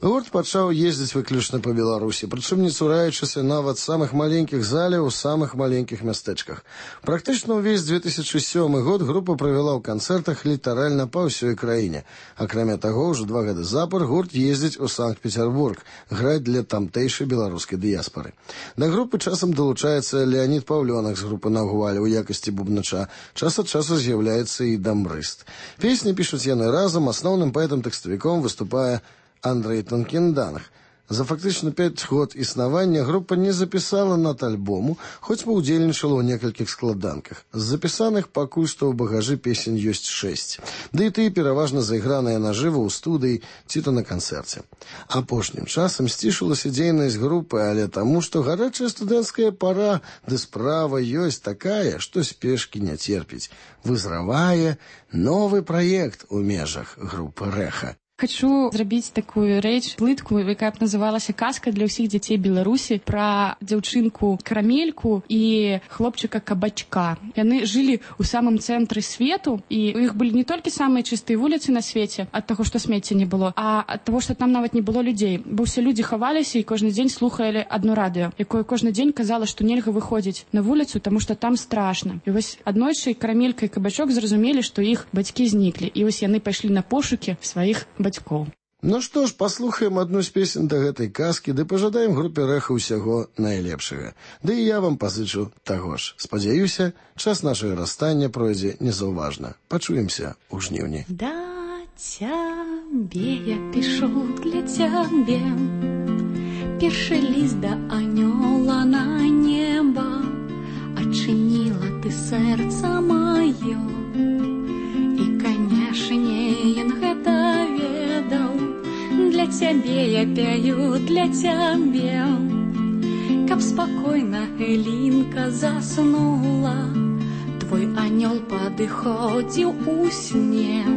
Гурт пачаў ездзіць выключна па Беларусі, прычым не цураючыся нават самых маленькіх заляў у самых маленькіх мястэчках. Практычна ўвесь две тысячы сёмы год група правяла ў канцэртах літаральна па ўсёй краіне. Акрамя таго, ўжо два гады запар гурт ездзіць у Санкт-Петербург, граць для тамтэйшай беларускай дыяспары. Да групы часам далучаецца Леонід Паўлёнак з групы «Нагуаль» у якасці бубнача. Час ад часу з'яўляецца і дамбрыст. Песні пішуць яны разам, асноўным паэтам-тэкставіком выступае Андрей Тонкенданах. За фактычна пяць год існавання група не запісала над альбому, хоць паўдзельнічала ў некалькіх складанках. З запісаных пакуль што ў багажы песень ёсць шэсць. Ды і тыя пераважна зайграныя нажыва ў студыі ці то на канцэрце. Апошнім часам сцішылася дзейнасць групы, але таму, што гарачая студэнцкая пара, ды справа ёсць такая, што спешкі не церпіць. Вызравае новы праект у межах групы Рэха. Хочу зрабіць такую рэч, плытку, якая б называлася «Казка для ўсіх дзяцей Беларусі», пра дзяўчынку Карамельку і хлопчыка Кабачка. Яны жылі ў самым цэнтры свету, і у іх былі не толькі самыя чыстыя вуліцы на свеце, ад таго, што смецця не было, а ад таго, што там нават не было людзей. Бо ўсе людзі хаваліся і кожны дзень слухалі адно радыё, якое кожны дзень казала, што нельга выходзіць на вуліцу, таму што там страшна. І вось аднойчы Карамелька і Кабачок зразумелі, што іх бацькі зніклі. І вось яны пайшлі на пошукі сваіх бацькоў. Ну што ж, паслухаем адну з песень да гэтай казкі, ды пажадаем групе Рэха ўсяго найлепшага. Ды і я вам пазычу таго ж. Спадзяюся, час нашага расстання пройдзе незаўважна. Пачуемся ў жніўні. Да цябе я пішу для цябе першы ліст да анёла на неба, адчыніла ты сэрца маё, і, канешне, ён гэта ведаў. Для цябе я пяю, для цябе, каб спакойна Элінка заснула. Твой анёл падыходзіў у сне,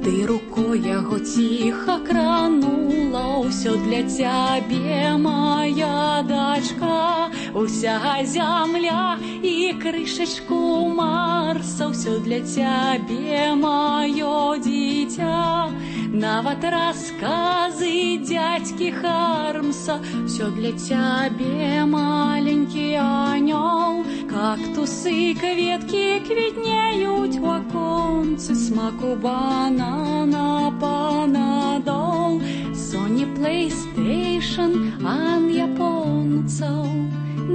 ты рукой яго ціха кранула. Усё для цябе, моя дачка, уся зямля і крышачку Марса. Усё для цябе, маё дзіця, нават расказы дзядзькі Хармса. Всё для цябе, маленькі анёл, кактусы, кветки квітнеють у оконце, смаку банана, панадол, Sony PlayStation, ан японцаў.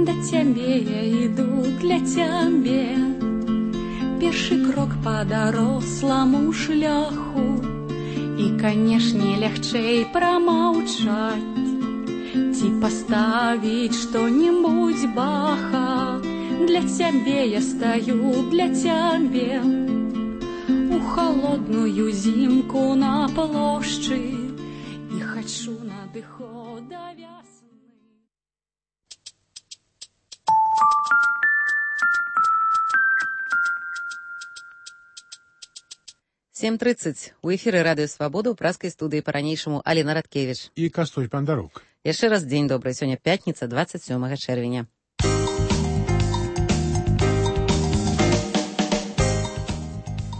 Да цябе я іду, для цябе. Першы крок па даросламу шляху, і, канешне, лягчэй прамаўчаць, ці паставіць што-небудзь баха. Для цябе я стаю, для цябе. У холодную зімку на плошчы і хачу надыхо да вясны. сем тридцать. У эфіры Радыё Свабода ў праскай студыі па-ранейшаму Аліна Радкевіч. І Кастусь Бандарук. Яшчэ раз дзень добры. Сёння пятніца, двадцать сёмага чэрвеня.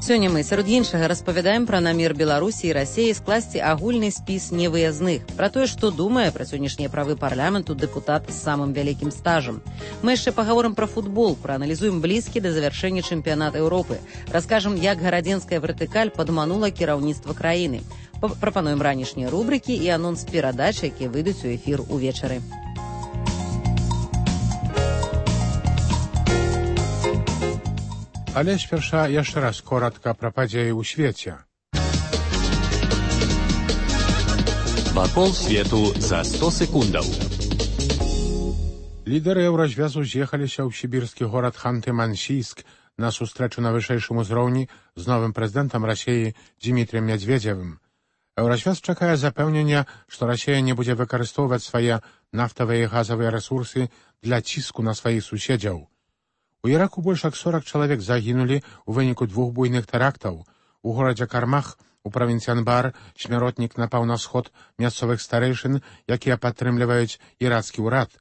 Сёння мы, сярод іншага, распавядаем пра намер Беларусі і Расіі скласці агульны спіс невыязных, пра тое, што думае пра сённяшнія правы парламенту дэпутат з самым вялікім стажам. Мы яшчэ пагаворым пра футбол, прааналізуем блізкі да завяршэння чэмпіянат Еўропы, раскажам, як гарадзенская вертыкаль падманула кіраўніцтва краіны. Прапануем ранішнія рубрыкі і анонс перадач, якія выйдуць у эфір увечары. Але спярша яшчэ раз коратка пра падзеі ў свеце. Вакол свету за сто секундаў. Лідары еўразвязу з'ехаліся ў сібірскі горад Ханты-Мансійск на сустрэчу на вышэйшым узроўні з новым прэзідэнтам Расіі Дзімітрыем Мядзведзевым. Еўразвяз чакае запэўнення, што Расія не будзе выкарыстоўваць свае нафтавыя і газавыя рэсурсы для ціску на сваіх суседзяў. У Іраку больш як сорак чалавек загінулі ў выніку двух буйных тэрактаў. У горадзе Кармах, у правінцыі Анбар, смяротнік напаў на сход мясцовых старэйшын, якія падтрымліваюць ірацкі ўрад.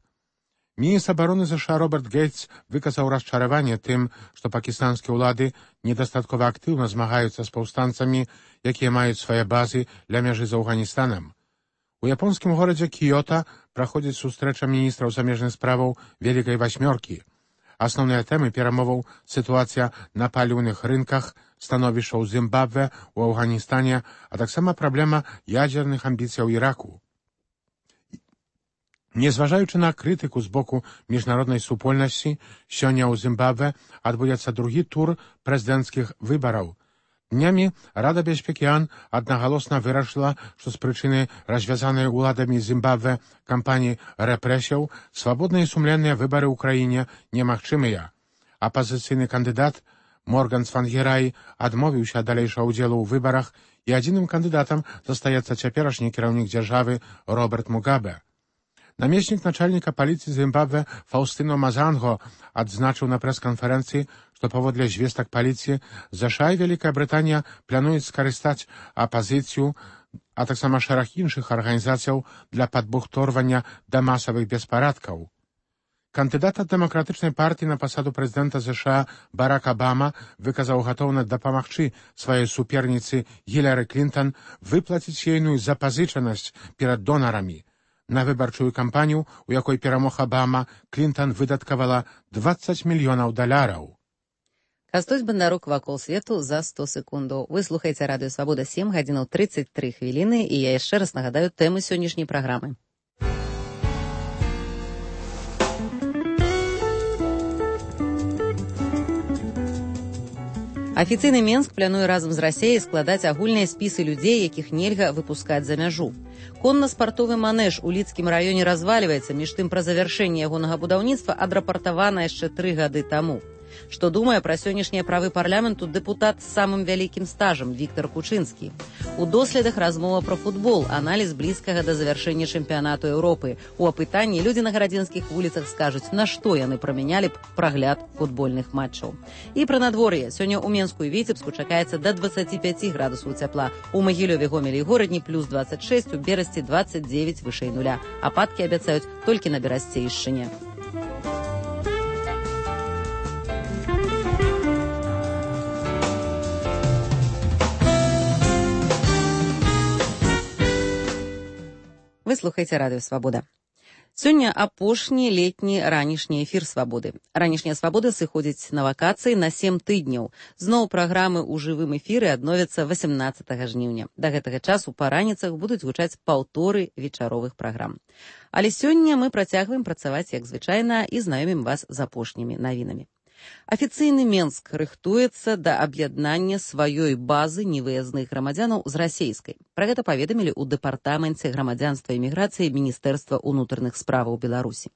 Міністр абароны ЗША Роберт Гейтс выказаў расчараванне тым, што пакістанскі ўлады недастаткова актыўна змагаюцца з паўстанцамі, якія маюць свае базы ля мяжы з Афганістанам. У японскім горадзе Кіёта праходзіць сустрэча міністраў замежных справаў Вялікай васьмёркі. Асноўныя тэмы перамоваў — сітуацыя на паліўных рынках, становішча ў Зімбабве, у Афганістане, а таксама праблема ядзерных амбіцыяў Іраку. Незважаючы на крытыку з боку міжнароднай супольнасці, сёння ў Зімбабве адбудзецца другі тур прэзідэнцкіх выбараў. Днямі Рада бяспекі АН аднагалосна вырашыла, што з прычыны развязанай уладамі Зімбабве кампаніі рэпрэсіяў свабодныя і сумленныя выбары ў краіне немагчымыя. Апазіцыйны кандыдат Морган Цвангерай адмовіўся ад далейшага ўдзелу ў выбарах, і адзіным кандыдатам застаецца цяперашні кіраўнік дзяржавы Роберт Мугабе. Намеснік начальніка паліцыі Зімбабве Фаўстыно Мазанго адзначыў на прэс-канферэнцыі, што паводле звестак паліцыі ЗША і Вялікая Брытанія плануюць скарыстаць апазіцыю, а таксама шэраг іншых арганізацыяў для падбухторвання да масавых беспарадкаў. Кандыдат ад дэмакратычнай партыі на пасаду прэзідэнта ЗША Барак Абама выказаў гатоўнасць дапамагчы сваёй суперніцы Гілары Клінтан выплаціць ейную запазычанасць перад донарамі. На выбарчую кампанію, у якой перамог Абама, Клінтан выдаткавала дваццаць мільёнаў даляраў. Кастусь Бандарук вакол свету за сто секундаў. Вы слухаеце Радыё Свабода, сем гадзінаў трыццаць тры хвіліны, і я яшчэ раз нагадаю тэмы сённяшняй праграмы. Афіцыйны Менск плануе разам з Расіяй складаць агульныя спісы людзей, якіх нельга выпускаць за мяжу. Конна-спартовы манеж у Лідскім раёне развальваецца, між тым пра завяршэнне ягонага будаўніцтва адрапартавана яшчэ тры гады таму. Што думае пра сённяшнія правы парламенту дэпутат з самым вялікім стажам Віктар Кучынскі. У доследах размова пра футбол, аналіз блізкага да завяршэння чэмпіянату Еўропы. У апытанні людзі на гарадзенскіх вуліцах скажуць, на што яны прамянялі б прагляд футбольных матчаў. І пра надвор'е. Сёння ў Менску і Віцебску чакаецца да дваццаці пяці градусаў цяпла. У Магілёве, Гомелі і Горадні плюс дваццаць шэсць, у Берасці дваццаць дзевяць вышэй нуля. Ападкі абяцаюць толькі на Берасцейшчыне. Вы слухаеце Радыё Свабода. Сёння апошні летні ранішні эфір свабоды. Ранішняя свабода сыходзіць на вакацыі на сем тыдняў. Зноў праграмы ў жывым эфіры адновяцца восемнадцатага жніўня. Да гэтага часу па раніцах будуць гучаць паўторы вечаровых праграм. Але сёння мы працягваем працаваць як звычайна і знаёмім вас з апошнімі навінамі. Афіцыйны Менск рыхтуецца да аб'яднання сваёй базы невыязных грамадзянаў з расейскай. Пра гэта паведамілі ў дэпартаменце грамадзянства і міграцыі Міністэрства ўнутраных справаў Беларусі.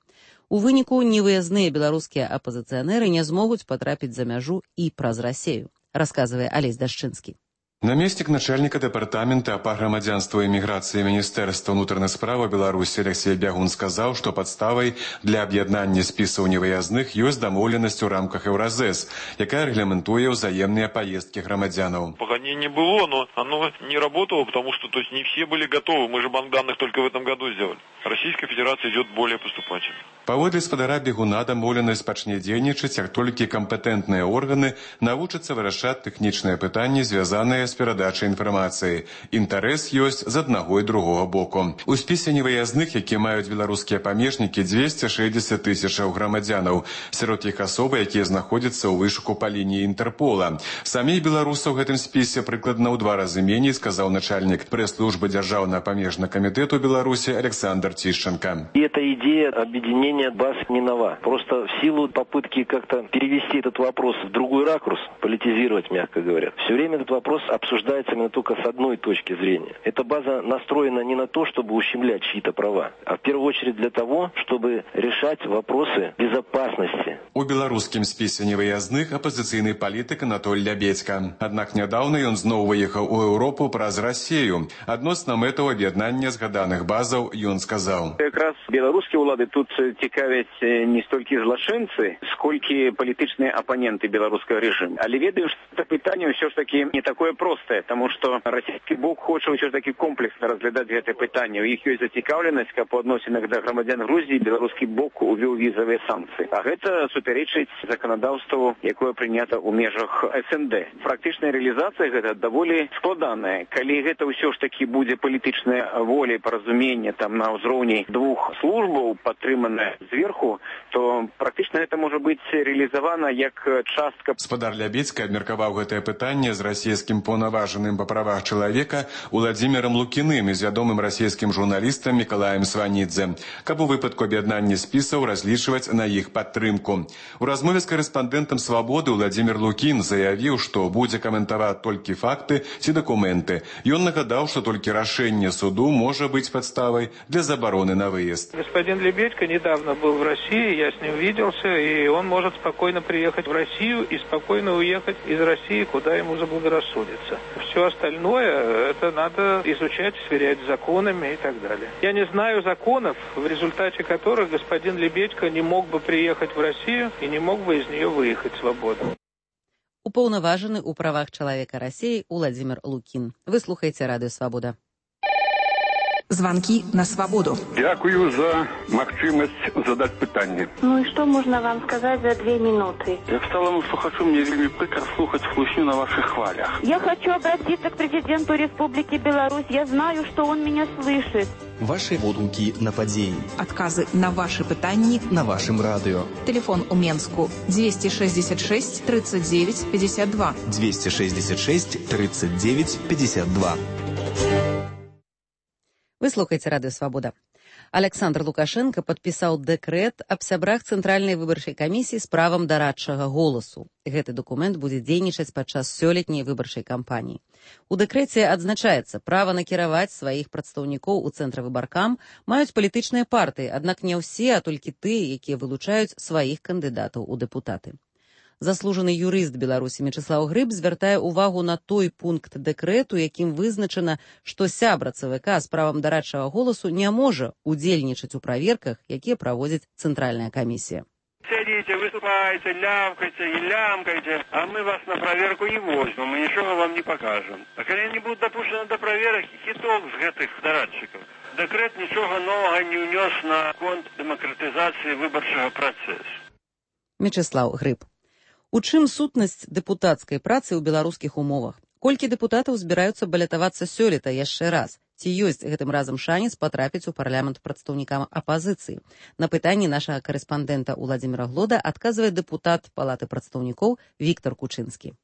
У выніку невыязныя беларускія апазіцыянеры не змогуць патрапіць за мяжу і праз Расею, расказвае Алесь Дашчынскі. Намеснік начальніка дэпартамента па грамадзянству і міграцыі Міністэрства ўнутраных справаў Беларусі Алексей Бягун сказаў, што падставай для аб'яднання спісаў невыязных ёсць дамоўленасць у рамках Еўразэс, якая рэгламентуе ўзаемныя паездкі грамадзянаў. Пока не было, но оно не работало, потому что то есть, не все были готовы. Мы же банк данных только в этом году сделали. Российская Федерация идет более поступательно. Паводле спадара Бегуна дамоўленасць пачне дзейнічаць, як толькі кампетэнтныя органы навучацца вырашаць тэхнічныя пытанні, звязаныя з перадачай інфармацыі. Інтарэс ёсць з аднаго і другога боку. У спісе невыязных, які маюць беларускія памежнікі, дзвесце шэсцьдзесят тысячаў грамадзянаў. Сярод іх асобы, якія знаходзяцца ў вышуку па лініі Інтэрпола. Саміх беларусаў у гэтым спісе прыкладна ў два разы меней, сказаў начальнік прэс-службы Дзяржаўнага памежнага камітэту Беларусі Александр Тищенко. И эта идея объединения баз не нова. Просто в силу попытки как-то перевести этот вопрос в другой ракурс, политизировать, мягко говоря, все время этот вопрос обсуждается именно только с одной точки зрения. Эта база настроена не на то, чтобы ущемлять чьи-то права, а в первую очередь для того, чтобы решать вопросы безопасности. У беларускім спісе невыязных апозіцыйны палітык Анатоль Лябедзька. Аднак нядаўна ён зноў выехаў у Еўропу праз Расею. Адносна мэтаў аб'яднання згаданых базаў ён сказаў. Якраз беларускія ўлады тут цікавяць не столькі злачынцы, сколькі палітычныя апаненты беларускага рэжыму. Але ведаю, што это пытанне ўсё ж таки не такое простае, таму што расійскі бок хоча ўсё ж таки комплексна разглядаць гэтае пытанне. У іх ёсць зацікаўленасць, каб у адносінах да грамадзян Грузіі беларускі бок увёў візавыя санкцыі. А гэта суперечыць заканадаўству, якое прынята ў межах эс эн дэ. Практычная рэалізацыя гэта даволі складаная. Калі гэта ўсё ж таки будзе палітычная воля і паразуменне там на ўзроўні двух службаў, падтрыманая зверху, то практычна гэта можа быць рэалізавана як частка. Спадар Лябедзька абмеркаваў гэтае пытанне з расійскім паўнаважаным па правах чалавека Уладзімірам Лукіным і з вядомым расійскім журналістам Мікалаем Сванідзе, каб у выпадку аб'яднання спісаў разлічваць на іх падтрымку. У размове з карэспандэнтам «Свабоды» Уладзімір Лукін заявіў, што будзе каментаваць толькі факты ці дакументы. Ён нагадаў, што толькі рашэнне суду можа быць падставай для забароны на выезд. Господин Лебедько недавно был в России, я с ним виделся, и он может спокойно приехать в Россию и спокойно уехать из России, куда ему заблагорассудится. Все остальное, это надо изучать, сверять с законами и так далее. Я не знаю законов, в результате которых господин Лебедько не мог бы приехать в Россию и не мог бы из нее выехать свободно. Упаўнаважаны ў правах чалавека Расіі Уладзімір Лукін. Вы слухаеце радыё «Свабода». Звонки на свободу. Дякую за магчымасць задаць пытанне. Ну и что можно вам сказать за две минуты? Я встала вам, что хочу, мне вельмі прикро слухать слушню на ваших хвалях. Я хочу обратиться к президенту Республики Беларусь. Я знаю, что он меня слышит. Ваши водгукі на падзеі. Отказы на ваши пытанні на вашем радыё. Телефон у Менску двести шестьдесят шесть тридцать девять пятьдесят два. двести шестьдесят шесть тридцать девять пятьдесят два. Вы слухаеце радыё «Свабода». Александр Лукашенко падпісаў дэкрэт аб сябрах Цэнтральнай выбарчай камісіі з правам дарадчага голасу. Гэты дакумент будзе дзейнічаць падчас сёлетняй выбарчай кампаніі. У дэкрэце адзначаецца, права накіраваць сваіх прадстаўнікоў у цэнтравыбаркам маюць палітычныя партыі, аднак не ўсе, а толькі тыя, якія вылучаюць сваіх кандыдатаў у дэпутаты. Заслужаны юрыст Беларусі Мячыслаў Грыб звяртае ўвагу на той пункт дэкрэту, якім вызначана, што сябра ЦВК з правам дарадчага голасу не можа удзельнічаць у праверках, якія праводзіць Цэнтральная камісія. Сядите, выступайте, лямкайте и лямкайте, а мы вас на проверку не возьмем, мы ничего вам не покажем. А когда не будут допущены до проверок, хиток с этих дорадчиков. Декрет ничего нового не унес на конт демократизации выборчего процесса. Мячыслаў Грыб. У чым сутнасць дэпутацкай працы ў беларускіх умовах? Колькі дэпутатаў збіраюцца балятавацца сёлета яшчэ раз? Ці ёсць гэтым разам шанец патрапіць у парламент прадстаўнікам апазіцыі? На пытанні нашага карэспандэнта Уладзіміра Глода адказвае дэпутат Палаты прадстаўнікоў Віктор Кучынскі.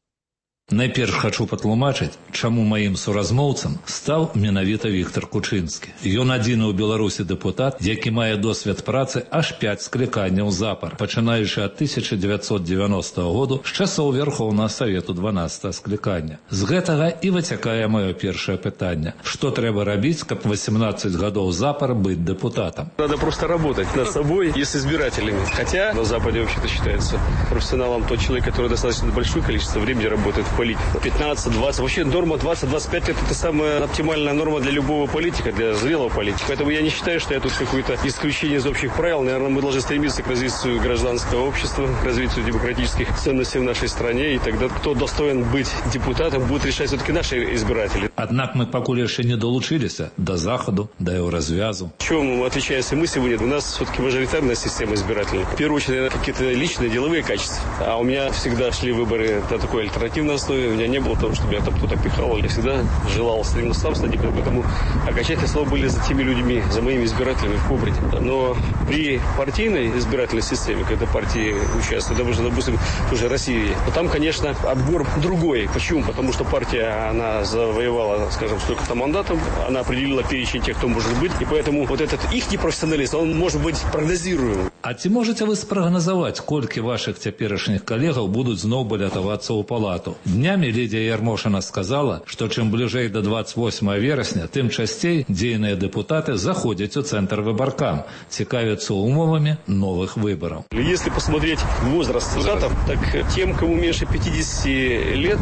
Найперш хачу патлумачыць, чаму маім суразмоўцам стаў менавіта Віктор Кучынскі. Ён адзіны ў Беларусі дэпутат, які мае досвед працы аж пяць скліканняў запар, пачынаючы ад тысяча дзевяцьсот дзевяностага году з часоў Верхоўнага Савету дванаццатага склікання. З гэтага і выцякае маё першае пытанне. Што трэба рабіць, каб восемнадцать гадоў запар быць дэпутатам? Надо просто работать над собой и с избирателями. Хотя на Западе вообще-то считается профессионалом тот человек, который достаточно большое количество времени работает в политику. пятнадцать-двадцать. Вообще норма двадцать-двадцать пять лет – это самая оптимальная норма для любого политика, для зрелого политика. Поэтому я не считаю, что я тут какое-то исключение из общих правил. Наверное, мы должны стремиться к развитию гражданского общества, к развитию демократических ценностей в нашей стране. И тогда кто достоин быть депутатом, будут решать все-таки наши избиратели. Однако мы покуль еще не долучились до Заходу, до Еврозвязу. Чем отличаемся мы сегодня? У нас все-таки мажоритарная система избирательная. В первую очередь, наверное, какие-то личные, деловые качества. А у меня всегда шли выборы на такой альтернативной основе. У меня не было того, чтобы я там кто-то пихал. Я всегда желал стремился сам стать депутатом. Поэтому окончательные слова были за теми людьми, за моими избирателями в Кобрите. Но при партийной избирательной системе, когда партии участвуют, даже, допустим, уже России, то там, конечно, отбор другой. Почему? Потому что партия, она завоевала, скажем, столько-то мандатов, она определила перечень тех, кто может быть, и поэтому вот этот их непрофессионализм, он может быть прогнозируем. А ці можете вы спрагназаваць, колькі ваших цяперашніх калегаў будуць зноў балятавацца ў палату? Днямі Лідія Ярмошина сказала, што чым бліжэй до двадцать восьмого верасня, тым часцей дзейныя дэпутаты заходзяць у цэнтр выбаркам, цікавяцца умовамі новых выборов. Если посмотреть возраст депутатов, так тем, кому меньше пятидесяти лет,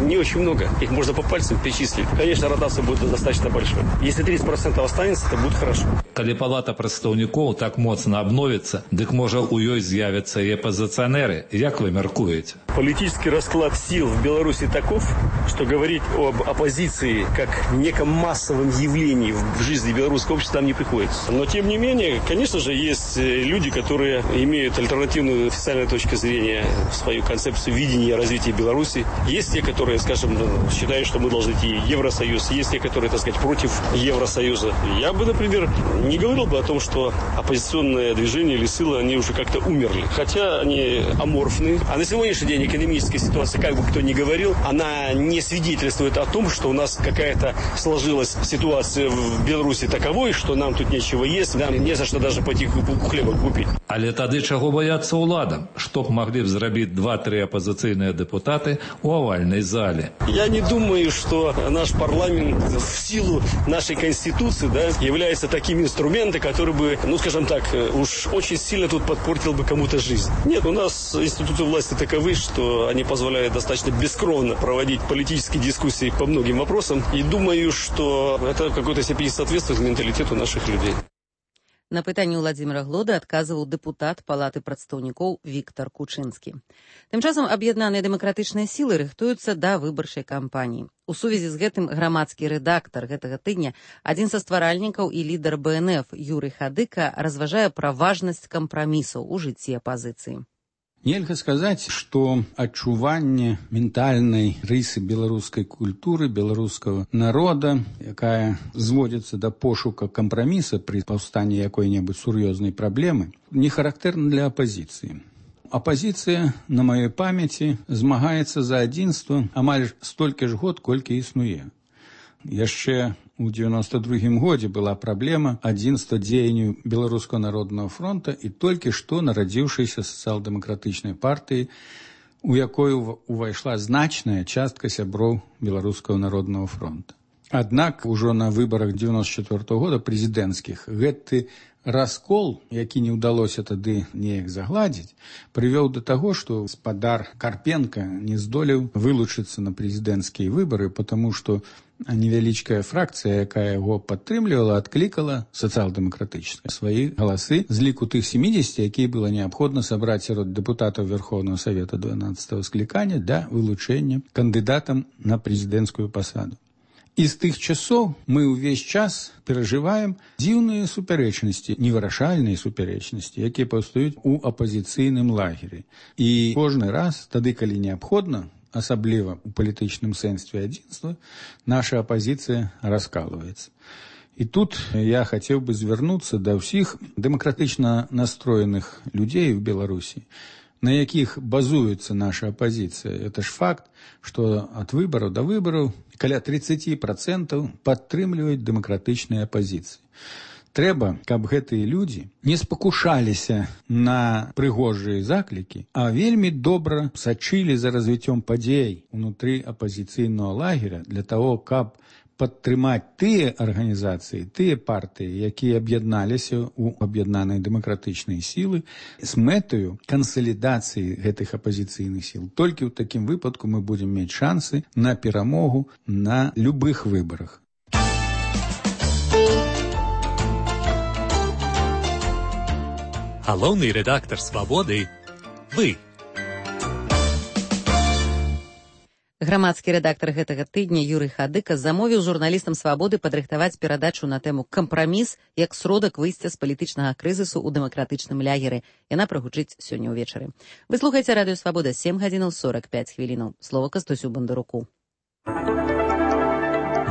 не очень много. Их можно по пальцам перечислить. Конечно, ротация будет достаточно большой. Если тридцать процентов останется, то будет хорошо. Калі палата прадстаўнікоў так моцна обновится, дык можа у ёй з'явяцца і апозіцыянеры. Як вы мяркуеце? Политический расклад сил в Беларуси таков, что говорить об оппозиции как неком массовом явлении в жизни белорусского общества нам не приходится. Но, тем не менее, конечно же, есть люди, которые имеют альтернативную официальную точку зрения в свою концепцию видения развития Беларуси. Есть те, которые, скажем, считают, что мы должны идти в Евросоюз. Есть те, которые, так сказать, против Евросоюза. Я бы, например, не говорил бы о том, что оппозиционное движение или силы, они уже как-то умерли. Хотя они аморфны. А на сегодняшний день экономическая ситуация, как бы кто ни говорил, она не свидетельствует о том, что у нас какая-то сложилась ситуация в Беларуси таковой, что нам тут нечего есть, нам не за что даже пойти булку хлеба купить. Але тады чаго баяцца ўладам? Што б маглі б зрабіць два-тры апозіцыйныя дэпутаты у овальнай зале? Я не думаю, что наш парламент в силу нашей конституции, да, является таким инструментом, который бы, ну скажем так, уж очень сильно тут подпортил бы кому-то жизнь. Нет, у нас институты власти таковы, что они позволяют достаточно бескровно проводить политические дискуссии по многим вопросам. И думаю, что это в какой-то степени соответствует менталитету наших людей. На пытанне Уладзіміра Глода адказваў дэпутат Палаты прадстаўнікоў Віктор Кучынскі. Тым часам аб'яднаныя дэмакратычныя сілы рыхтуюцца да выбарчай кампаніі. У сувязі з гэтым грамадскі рэдактар гэтага тыдня, адзін са стваральнікаў і лідар бэ эн эф Юрый Хадыка разважае пра важнасць кампрамісаў у жыцці апазіцыі. Нельга сказаць, што адчуванне ментальнай рысы беларускай культуры, беларускага народа, якая зводзіцца да пошука кампраміса пры паўстанні якой-небудзь сур'ёзнай праблемы, не характэрна для апазіцыі. Апазіцыя, на маёй памяці, змагаецца за адзінства амаль столькі ж год, колькі існуе. Яшчэ у девяносто другім годзе была праблема адзінства дзеянню Беларускага народнага фронта і толькі што нарадзіўшейся сацыял-дэмакратычнай партыі, у якой увайшла значная частка сяброў Беларускага народнага фронта. Аднак ужо на выбарах девяносто четвёртого года прэзідэнцкіх гэты раскол, які не ўдалося тады неяк загладзіць, прывёў да таго, што спадар Карпенка не здолеў вылучыцца на прэзідэнцкія выбары, потому што невялічкая фракцыя, якая яго падтрымлівала, адклікала сацыял-дэмакратычныя свае галасы з ліку тых семидесяти, якія было неабходна сабраць сярод дэпутатаў Верховнага Савета дванаццатого склікання для вылучэння кандыдатам на прэзідэнцкую пасаду. І з тых часоў мы ўвесь час перажываем дзіўныя супярэчнасці, невырашальныя супярэчнасці, якія паўстаюць у апазіцыйным лагеры. І кожны раз, тады, калі неабходна, асабліва ў палітычным сэнсе адзінства, наша апазіцыя раскалваецца. І тут я хацеў бы звярнуцца да ўсіх дэмакратычна настроеных людзей в Беларусі, на якіх базуецца наша апазіцыя. Это ж факт, што ад выбараў да выбараў каля тридцать процентов падтрымліваюць дэмакратычныя апазіцыі. Трэба, каб гэтыя людзі не спакушаліся на прыгожыя заклікі, а вельмі добра сачылі за развіццём падзей унутры апазіцыйнага лагеря для того, каб падтрымаць тыя арганізацыі, тыя партыі, якія аб'ядналіся ў аб'яднаныя дэмакратычныя сілы з мэтаю кансалідацыі гэтых апазіцыйных сіл. Толькі ў такім выпадку мы будзем мець шансы на перамогу на любых выбарах. Галоўны рэдактар «Свабоды» – вы. Грамадскі рэдактар гэтага тыдня Юрый Хадыка замовіў журналістам «Свабоды» падрыхтаваць перадачу на тэму «Кампраміс як сродак выйсця з палітычнага крызісу ў дэмакратычным лягеры». Яна прагучыць сёння ўвечары. Вы слухаеце радыё «Свабода», сем гадзінаў сорок пять хвілінаў. Слова Кастусю Бандаруку.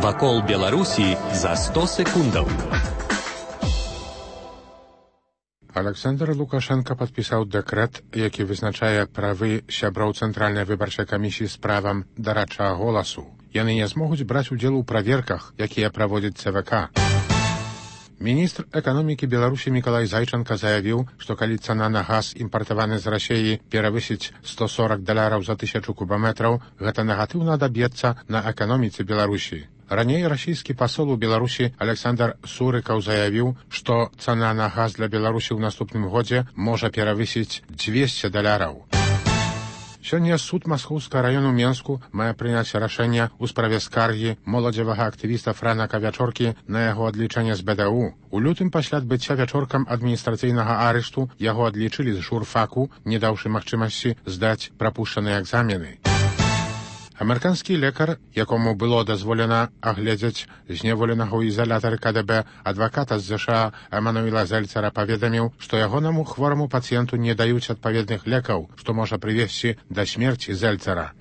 Вакол Беларусі за сто секундаў. Александр Лукашенко падпісаў дэкрэт, які вызначае правы сяброў Цэнтральнай выбарчай камісіі з правам дарадчага голасу. Яны не змогуць браць удзел у праверках, якія праводзіць цэ вэ ка. Міністр эканомікі Беларусі Мікалай Зайчанка заявіў, што калі цана на газ, імпартаваны з Расіі, перавысіць сто сорок даляраў за тысячу кубаметраў, гэта негатыўна адаб'ецца на эканоміцы Беларусі. Раней расійскі пасол у Беларусі Александр Сурыкаў заявіў, што цана на газ для Беларусі ў наступным годзе можа перавысіць двести даляраў. Сёння суд Маскоўскага раёну Менску мае прыняць рашэнне ў справе скаргі моладзевага актывіста Франака Вячоркі на яго адлічэнне з бэ дэ у. У лютым пасля адбыцця Вячоркам адміністрацыйнага арышту яго адлічылі з журфаку, не даўшы магчымасці здаць прапушчаныя экзамены. Амерыканскі лекар, якому было дазволена агледзець зняволенага ў ізалятары ка дэ бэ адваката з зэ ша а Эмануэла Зельцара, паведаміў, што ягонаму хвораму пацыенту не даюць адпаведных лекаў, што можа прывесці да смерці Зельцара.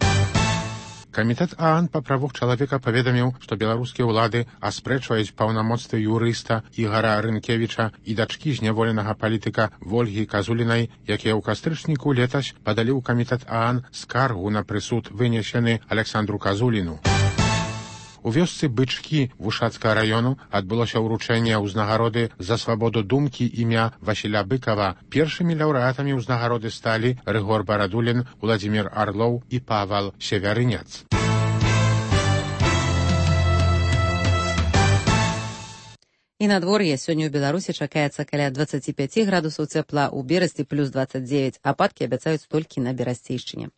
Камітэт а ан па правах чалавека паведаміў, што беларускія ўлады аспрэчваюць паўнамоцтвы юрыста Ігара Рынкевіча і дачкі зняволенага палітыка Вольгі Казулінай, якія ў кастрычніку летась падалі ў камітэт а ан скаргу на прысуд, вынесены Александру Казуліну. У вёсцы Бычкі Вушацкага раёну адбылося ўручэнне ўзнагароды за свабоду думкі імя Васіля Быкава. Першымі лаўрэатамі ўзнагароды сталі Рыгор Барадулін, Уладзімір Арлоў і Павал Севярынец. І надвор'е сёння ў Беларусі чакаецца каля двадцать пять градусаў цяпла, у Берасці плюс двадцать девять, ападкі абяцаюць толькі на Берасцейшчыне.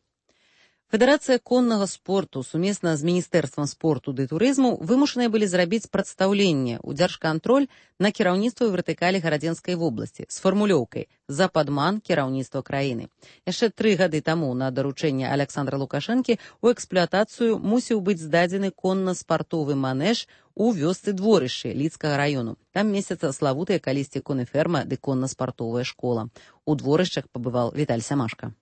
Федэрацыя коннага спорту сумесна з Міністэрствам спорту ды турызму вымушаныя былі зрабіць прадстаўленне ў дзяржкантроль на кіраўніцтва вертыкалі гарадзенскай вобласці з фармулёўкай «За падман кіраўніцтва краіны». Яшчэ тры гады таму на даручэнне Александра Лукашэнкі ў эксплуатацыю мусіў быць здадзены конна-спартовы манеж у вёсцы Дворышчы Лідскага раёну. Там месяца славутая калісьці конеферма ды конна-спартовая школа. У Дворышчах пабываў Віталь Сямашка.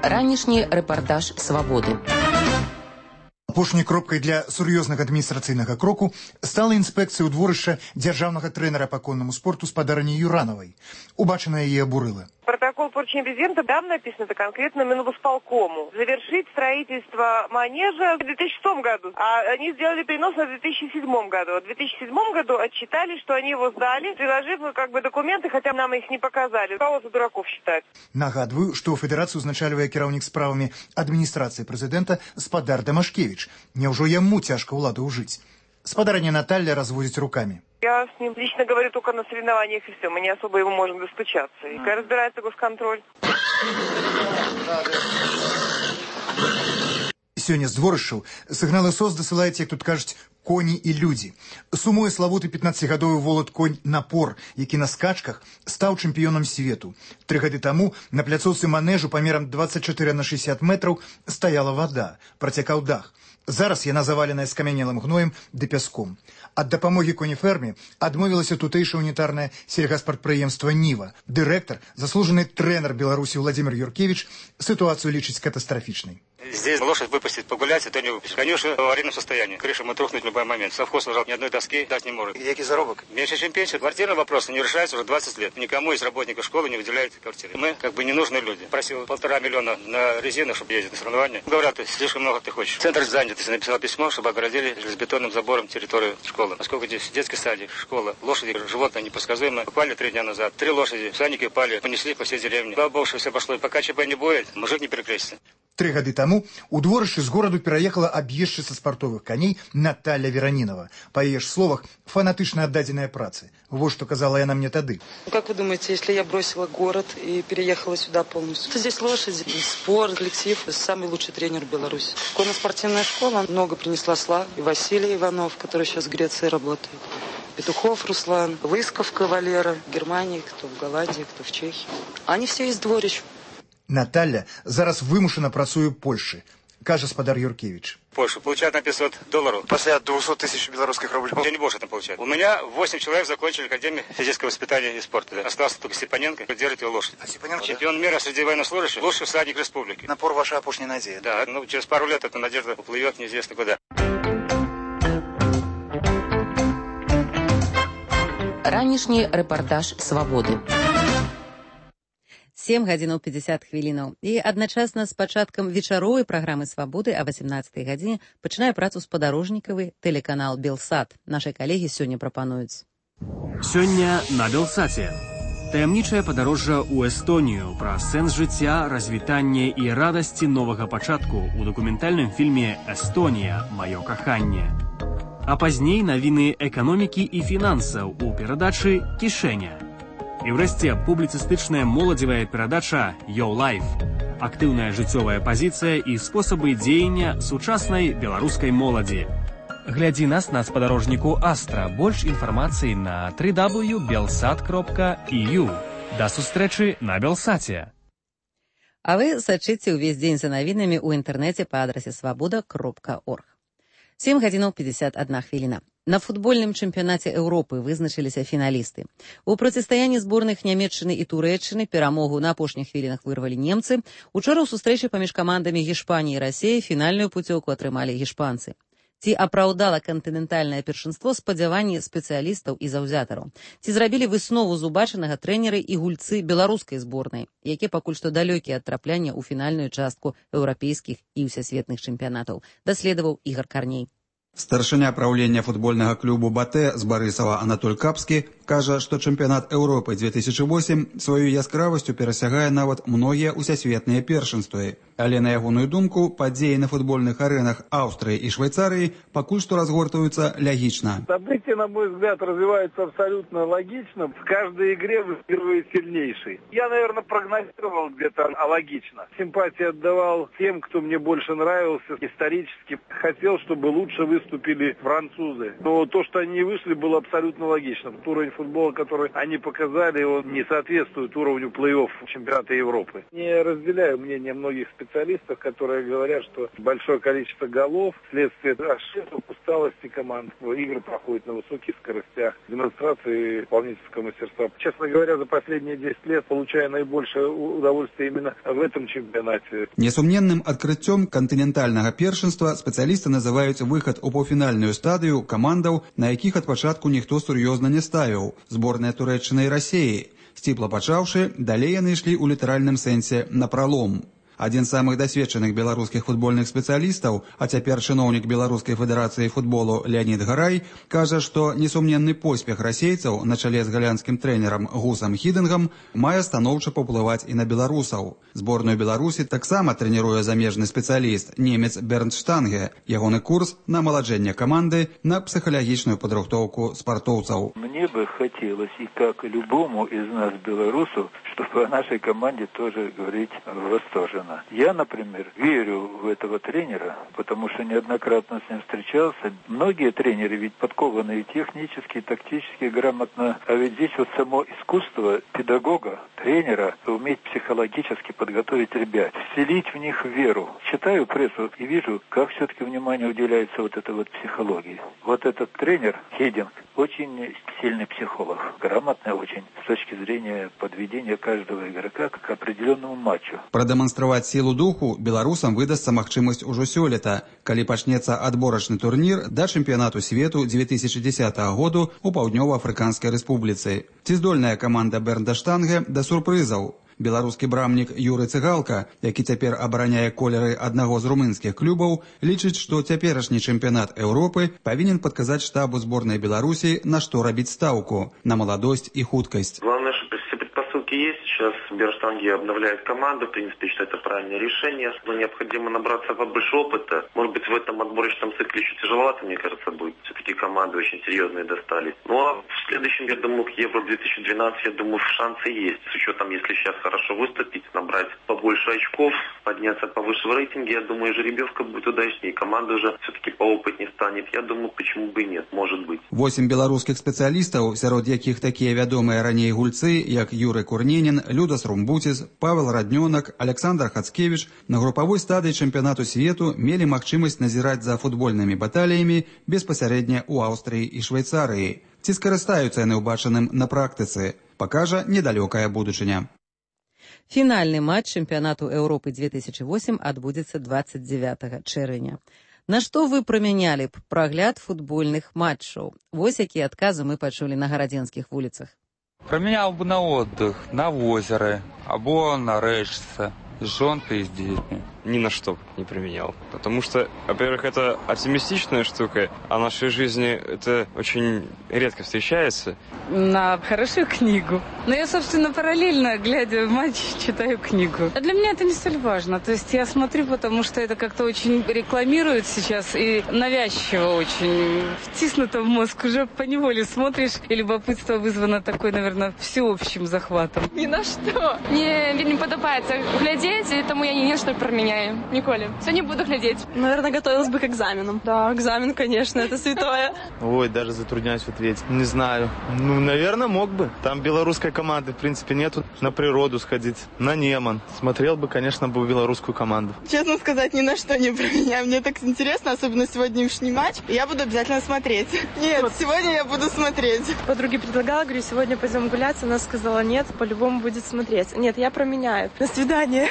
Ранішні рэпартаж «Свабоды». Апошняй кропкай для сур'ёзнага адміністрацыйнага кроку стала інспекцыя ў дворышча дзяржаўнага трэнера па коннаму спорту спадарыні Юранавай. Убачанае яе абурыла. Протокол поручения президента, там написано это конкретно Минвосполкому. Завершить строительство манежа в две тысячи шестом году, а они сделали перенос на две тысячи седьмом году. В две тысячи седьмом году отчитали, что они его сдали, приложив как бы документы, хотя нам их не показали. Кого за дураков считать? Нагадываю, что федерацию узначальвае кіраўнік справамі адміністрацыі прэзідэнта спадар Дамашкевич. Няўжо яму цяжка ўладу ўжыць? Спадарыня Наталья разводит руками. Я с ним лично говорю только на соревнованиях и все. Мы не особо его можем достучаться. И когда разбирается госконтроль. Сёння з дворышчаў сігналы СОС дасылаюць, як тут кажуць, коні і людзі. Сумуе славуты пятнаццацігадовы волат конь Напор, які на скачках стаў чэмпіёнам свету. Тры гады таму на пляцоўцы манежу памерам двадцать четыре на шестьдесят метраў стаяла вада, працякаў дах. Зараз яна заваленая скамянелым гноем ды пяском. Ад дапамогі конеферме адмовілася тутэйшае унітарнае сельгаспрадпрыемства «Ніва». Дырэктар, заслужаны трэнер Беларусі Владимир Юркевич ситуацию лечить катастрофичной. Здесь лошадь выпустить погулять, это не выпустить. Конюшня в аварийном состоянии. Крыша может рухнуть в любой момент. Совхоз уже ни одной доски дать не может. И какой заработок? Меньше, чем пенсия. Квартирный вопрос не решается уже двадцать лет. Никому из работников школы не выделяют квартиры. Мы как бы ненужные люди. Просил полтора миллиона на резину, чтобы ездить на соревнования. Говорят, ты слишком много ты хочешь. Центр занятости написал письмо, чтобы оградили железобетонным забором территорию школы. Поскольку здесь детский садик, школа, лошади, животные непредсказуемые. Упали три дня назад. Три лошади, всадники упали, понесли по всей деревне. Слава богу, что все пошло. И пока ЧП не будет, мужик не перекрестится. Три гады таму у дворышчы з гораду пераехала аб'ездчыца спартовых коней Наталья Веранинова. По яе ж словах, фанатычна аддадзеная працы. Вот что казала яна мне тады. Как вы думаете, если я бросила город и переехала сюда полностью? Здесь лошади, спорт, коллектив, самый лучший тренер в Беларуси. Конно-спортивная школа много принесла славы. И Василий Иванов, который сейчас в Греции работает. Петухов Руслан, Лысковка Валера, в Германии, кто в Голландии, кто в Чехии. Они все из дворищ. Наталья зараз вымушана працуе ў Польшы, кажа спадар Юркевич. Польша получает на пятьсот долларов. После двухсот тысяч белорусских рублей. Я не больше там получаю. У меня восемь человек закончили Академию физического воспитания и спорта. Да. Остался только Степаненко, держит его лошадь. А Степаненко? Чемпион мира среди военнослужащих, лучший всадник республики. Напор ваша опушная надежда. Да, ну через пару лет эта надежда уплывет неизвестно куда. Ранішні рэпартаж «Свабоды». сем гадзінаў пятьдесят хвілінаў. І адначасна з пачаткам вечаровай праграмы «Свабоды» а восемнадцатай гадзіне пачынае працу спадарожнікавы тэлеканал «Белсат». Нашай калегі сёння прапануюць. Сёння на «Белсаце». Таямнічае падарожжа ў Эстонію пра сэнс жыцця, развітанне і радасці новага пачатку ў дакументальным фільме «Эстонія. Маё каханне». А пазней навіны эканомікі і фінансаў у перадачы «Кішэня». І ўрэшце публіцыстычная моладзевая перадача «Your Life». Актыўная жыццёвая пазіцыя і спосабы дзеяння сучаснай беларускай моладзі. Глядзі нас на спадарожніку Астра. Больш інфармацыі на дабл ю дабл ю дабл ю крапка белсат крапка і ю. Да сустрэчы на Белсаце. А вы сачыце ўвесь дзень за навінамі ў інтэрнэце па адрасе свабода крапка орг. сем гадзінаў пятьдесят одна хвіліна. На футбольным чэмпіянаце Еўропы вызначыліся фіналісты. У процістаянні зборных Нямецчыны і Турэччыны перамогу на апошніх хвілінах вырвалі немцы. Учора ў сустрэчы паміж камандамі Гішпаніі і Расіі фінальную пуцёўку атрымалі гішпанцы. Ці апраўдала кантынентальнае першынство спадзяванні спецыялістаў і заўзятараў? Ці зрабілі выснову з убачанага трэнеры і гульцы беларускай зборнай, якія пакуль што далёкія ад трапляння ў фінальную частку еўрапейскіх і ўсесветных чэмпіянатаў, даследаваў Ігар Карней. Старшыня праўлення футбольнага клубу «Батэ» з Барысава Анатоль Капскі кажа, што чэмпіянат Еўропы две тысячи восемь сваёй яскравасцю перасягае нават многія ўсесветныя першынствы. Але на ягоную думку, падзеі на футбольных арэнах Аўстрыі і Швейцарыі пакуль што разгортваюцца лягічна. События, на мой взгляд, развиваются абсолютно логично. В каждой игре выигрывает сильнейший. Я, наверное, прогнозировал где-то алогично. Симпатии отдавал тем, кто мне больше нравился. Исторически хотел, чтобы лучше выступили французы. Но то, что они вышли, было абсолютно логично. Уровень футбола, который они показали, он не соответствует уровню плей-офф чемпионата Европы. Не разделяю мнение многих специалистов, которые говорят, что большое количество голов вследствие ошибок, усталости команд. Игры проходят на высоких скоростях, демонстрации исполнительского мастерства. Честно говоря, за последние десять лет получаю наибольшее удовольствие именно в этом чемпионате. Несумненным открыццём кантынентальнага першынства спецыялісты называюць выхад у паўфінальную стадыю камандаў, на якіх ад пачатку ніхто сур'ёзна не ставіў. Зборная Турэччыны і Расіі. Сціпла пачаўшы, далей яны ішлі ў літаральным сэнсе на пралом. Адзін з самых дасведчаных беларускіх футбольных спецыялістаў, а цяпер чыноўнік Беларускай федэрацыі футболу Леонид Гарай, кажа, што несумненны поспех расейцаў на чале з галандскім трэнерам Гусам Хідынгам мае станоўча паўплываць і на беларусаў. Зборную Беларусі таксама трэніруе замежны спецыяліст, немец Бернт Штанге. Ягоны курс на маладжэнне каманды, на псіхалагічную падрыхтоўку спартоўцаў. Мне бы хотелось, и как любому из нас, белорусов, чтобы о нашей команде тоже говорить восторженно. страна. Я, например, верю в этого тренера, потому что неоднократно с ним встречался. Многие тренеры ведь подкованы и технически, и тактически, грамотно. А ведь здесь вот само искусство педагога, тренера, уметь психологически подготовить ребят, вселить в них веру. Читаю прессу и вижу, как все-таки внимание уделяется вот этой вот психологии. Вот этот тренер, Хейдинг, очень сильный психолог, грамотный очень с точки зрения подведения каждого игрока к определенному матчу. Прадэманстраваць сілу духу беларусам выдасца магчымасць ужо сёлета, калі пачнецца адборачны турнір да чэмпіянату свету две тысячи десятого году у Паўднёва-Афрыканскай рэспубліцы. Ці здольная каманда Бернда Штанге да сюрпрызаў? Беларускі брамнік Юры Цыгалка, які цяпер абараняе колеры аднаго з румынскіх клубаў, лічыць, што цяперашні чэмпіянат Еўропы павінен падказаць штабу зборнай Беларусі, на што рабіць стаўку – на маладосць і хуткасць. Главное, что все предпосылки есть. Сейчас Берштанги обновляет команду. В принципе, считаю, это правильное решение. Но необходимо набраться побольше опыта. Может быть, в этом отборочном цикле еще тяжеловато, мне кажется, будет. Все-таки команды очень серьезные достались. Ну, а в следующем, я думаю, к Евро две тысячи двенадцать, я думаю, шансы есть. С учетом, если сейчас хорошо выступить, набрать побольше очков, подняться повыше в рейтинге, я думаю, жеребьевка будет удачнее. Команда уже все-таки поопытнее станет. Я думаю, почему бы и нет, может быть. Восемь беларускіх спецыялістаў, сярод якіх такія вядомыя раней гульцы, як Юры Курненін, Людас Румбуціс, Павел Раднёнак, Александр Хацкевіч, на групавой стадыі чэмпіянату свету мелі магчымасць назіраць за футбольнымі баталіямі беспасярэдня ў Аўстрыі і Швейцарыі. Ці скарыстаюцца яны ўбачаным на практыцы, пакажа недалёкая будучыня. Фінальны матч чэмпіянату Еўропы две тысячи восемь адбудзецца двадцать девятого чэрвеня. На што вы прамянялі б прагляд футбольных матчаў? Вось якія адказы мы пачулі на гарадзенскіх вуліцах. Променял бы на отдых, на озеро, або на рэчцы, с жонкой и с детьми. Ни на что не применял. Потому что, во-первых, это оптимистичная штука, а в нашей жизни это очень редко встречается. На хорошую книгу. Но я, собственно, параллельно, глядя в матч, читаю книгу. А для меня это не столь важно. То есть я смотрю, потому что это как-то очень рекламируют сейчас и навязчиво очень втиснуто в мозг. Уже поневоле смотришь, и любопытство вызвано такой, наверное, всеобщим захватом. Ни на что. Мне не подобается глядеть, и тому я ни на что променяю. Николи. Сегодня буду глядеть. Наверное, готовилась бы к экзаменам. Да, экзамен, конечно, это святое. Ой, даже затрудняюсь в ответе. Не знаю. Ну, наверное, мог бы. Там белорусской команды, в принципе, нету. На природу сходить, на Неман. Смотрел бы, конечно, бы белорусскую команду. Честно сказать, ни на что не променяю. Мне так интересно, особенно сегодняшний матч. Я буду обязательно смотреть. Нет, вот. Сегодня я буду смотреть. Подруге предлагала, говорю, сегодня пойдем гулять. Она сказала, нет, по-любому будет смотреть. Нет, я променяю. До свидания.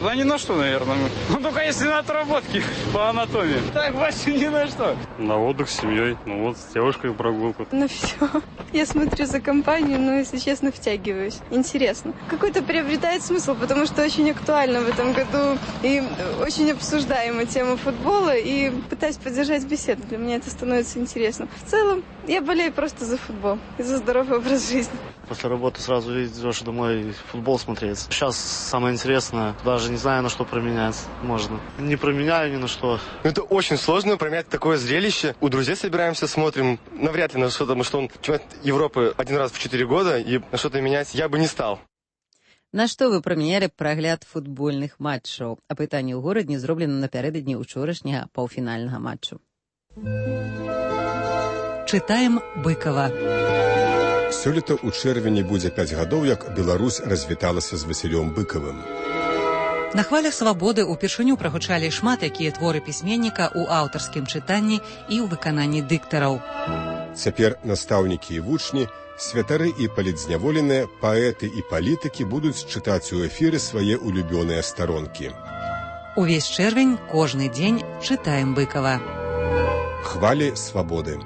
Да ни на что, наверное. Ну, только если на отработке по анатомии. Так, больше ни на что. На отдых с семьей. Ну вот, с девушкой прогулку. Ну все. Я смотрю за компанию, но, если честно, втягиваюсь. Интересно. Какой-то приобретает смысл, потому что очень актуально в этом году и очень обсуждаема тема футбола, и пытаюсь поддержать беседу. Для меня это становится интересно. В целом, я болею просто за футбол и за здоровый образ жизни. После работы сразу идешь домой футбол смотреть. Сейчас самое интересное, даже не знаю, на что променять можно. Не променяю ни на что. Это очень сложно променять такое зрелище. У друзей собираемся, смотрим. Навряд ли на что-то, потому что он чемпионат Европы один раз в четыре года, и на что-то менять я бы не стал. На што вы прамянялі прагляд футбольных матчаў? Апытанне ў горадні зроблена напярэдадні ўчорашняга паўфінальнага матчу. Чытаем Быкова. Сёлета ў чэрвені будзе пяць гадоў, як Беларусь развіталася з Васілём Быкавым. На хвалях свабоды ўпершыню прагучалі шмат якія творы пісьменніка ў аўтарскім чытанні і ў выкананні дыктараў. Цяпер настаўнікі і вучні, святары і палітзняволеныя, паэты і палітыкі будуць чытаць у эфіры свае улюбёныя старонкі. Увесь чэрвень, кожны дзень чытаем Быкава. Хвалі свабоды.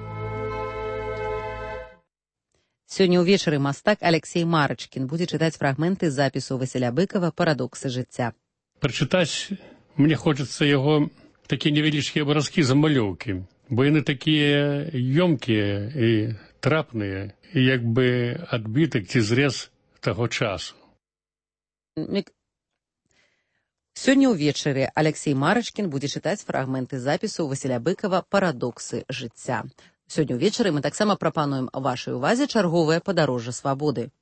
Сёння ўвечары мастак Алексей Марачкін будзе чытаць фрагменты запісу Васіля Быкава «Парадоксы жыцця». Прачытаць мне хочацца яго такія невялічкія абразкі замалёўкі, бо яны такія ёмкія і трапныя, і як бы адбітак ці зрэз таго часу. Сёння ўвечары Алексей Марачкін будзе чытаць фрагменты запісу Васіля Быкава «Парадоксы жыцця». Сёння ўвечары мы таксама прапануем вашай увазе чарговае падарожжа свабоды.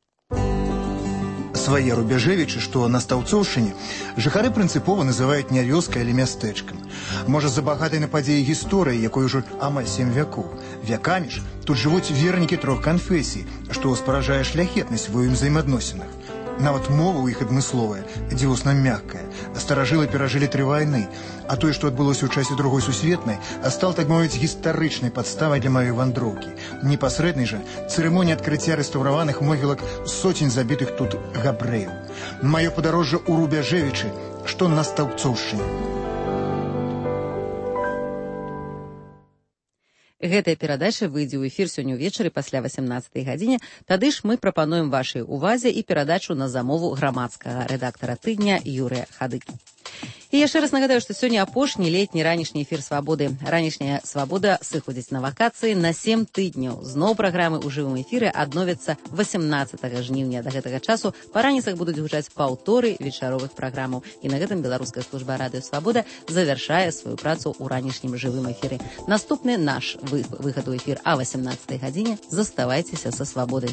свае Рубяжэвічы, што на Стаўцоўшчыне жыхары прынцыпова называюць не вёскай, але мястэчкам. Можа, з-за багатай на падзеі гісторыі, якой ужо амаль сем вякоў. Вякамі ж тут жывуць вернікі трох канфесій, што спаражае шляхетнасць ва ўзаемаадносінах. Нават мова ў іх адмысловая, дзівосна мяккая. Старажылы перажылі тры вайны, а тое, што адбылося ў часе другой сусветнай, стал, так мовіць, гістарычнай падставай для маёй вандроўкі. Непасрэднай жа цырымонія адкрыцця рэстаўраваных могілак соцень забітых тут габрэяў. Маё падарожжа ў Рубяжэвічы, што на Стаўцоўшчыне. Гэтая перадача выйдзе ў эфір сёння ўвечары пасля васямнаццатай гадзіне. Тады ж мы прапануем вашай увазе і перадачу на замову грамадскага рэдактара тыдня Юрыя Хадыкі. І яшчэ раз нагадаю, што сёння апошні летні ранішні эфір «Свабоды». Ранішняя «Свабода» сыходзіць на вакацыі на сем тыдняў. Зноў праграмы ў жывым эфіры адновяцца васямнаццатага жніўня. Да гэтага часу па раніцах будуць гучаць паўторы вечаровых праграмаў. І на гэтым беларуская служба радыё «Свабода» завяршае сваю працу ў ранішнім жывым эфіры. Наступны наш выхад у эфір а васямнаццатай гадзіне. Заставайцеся са «Свабодай».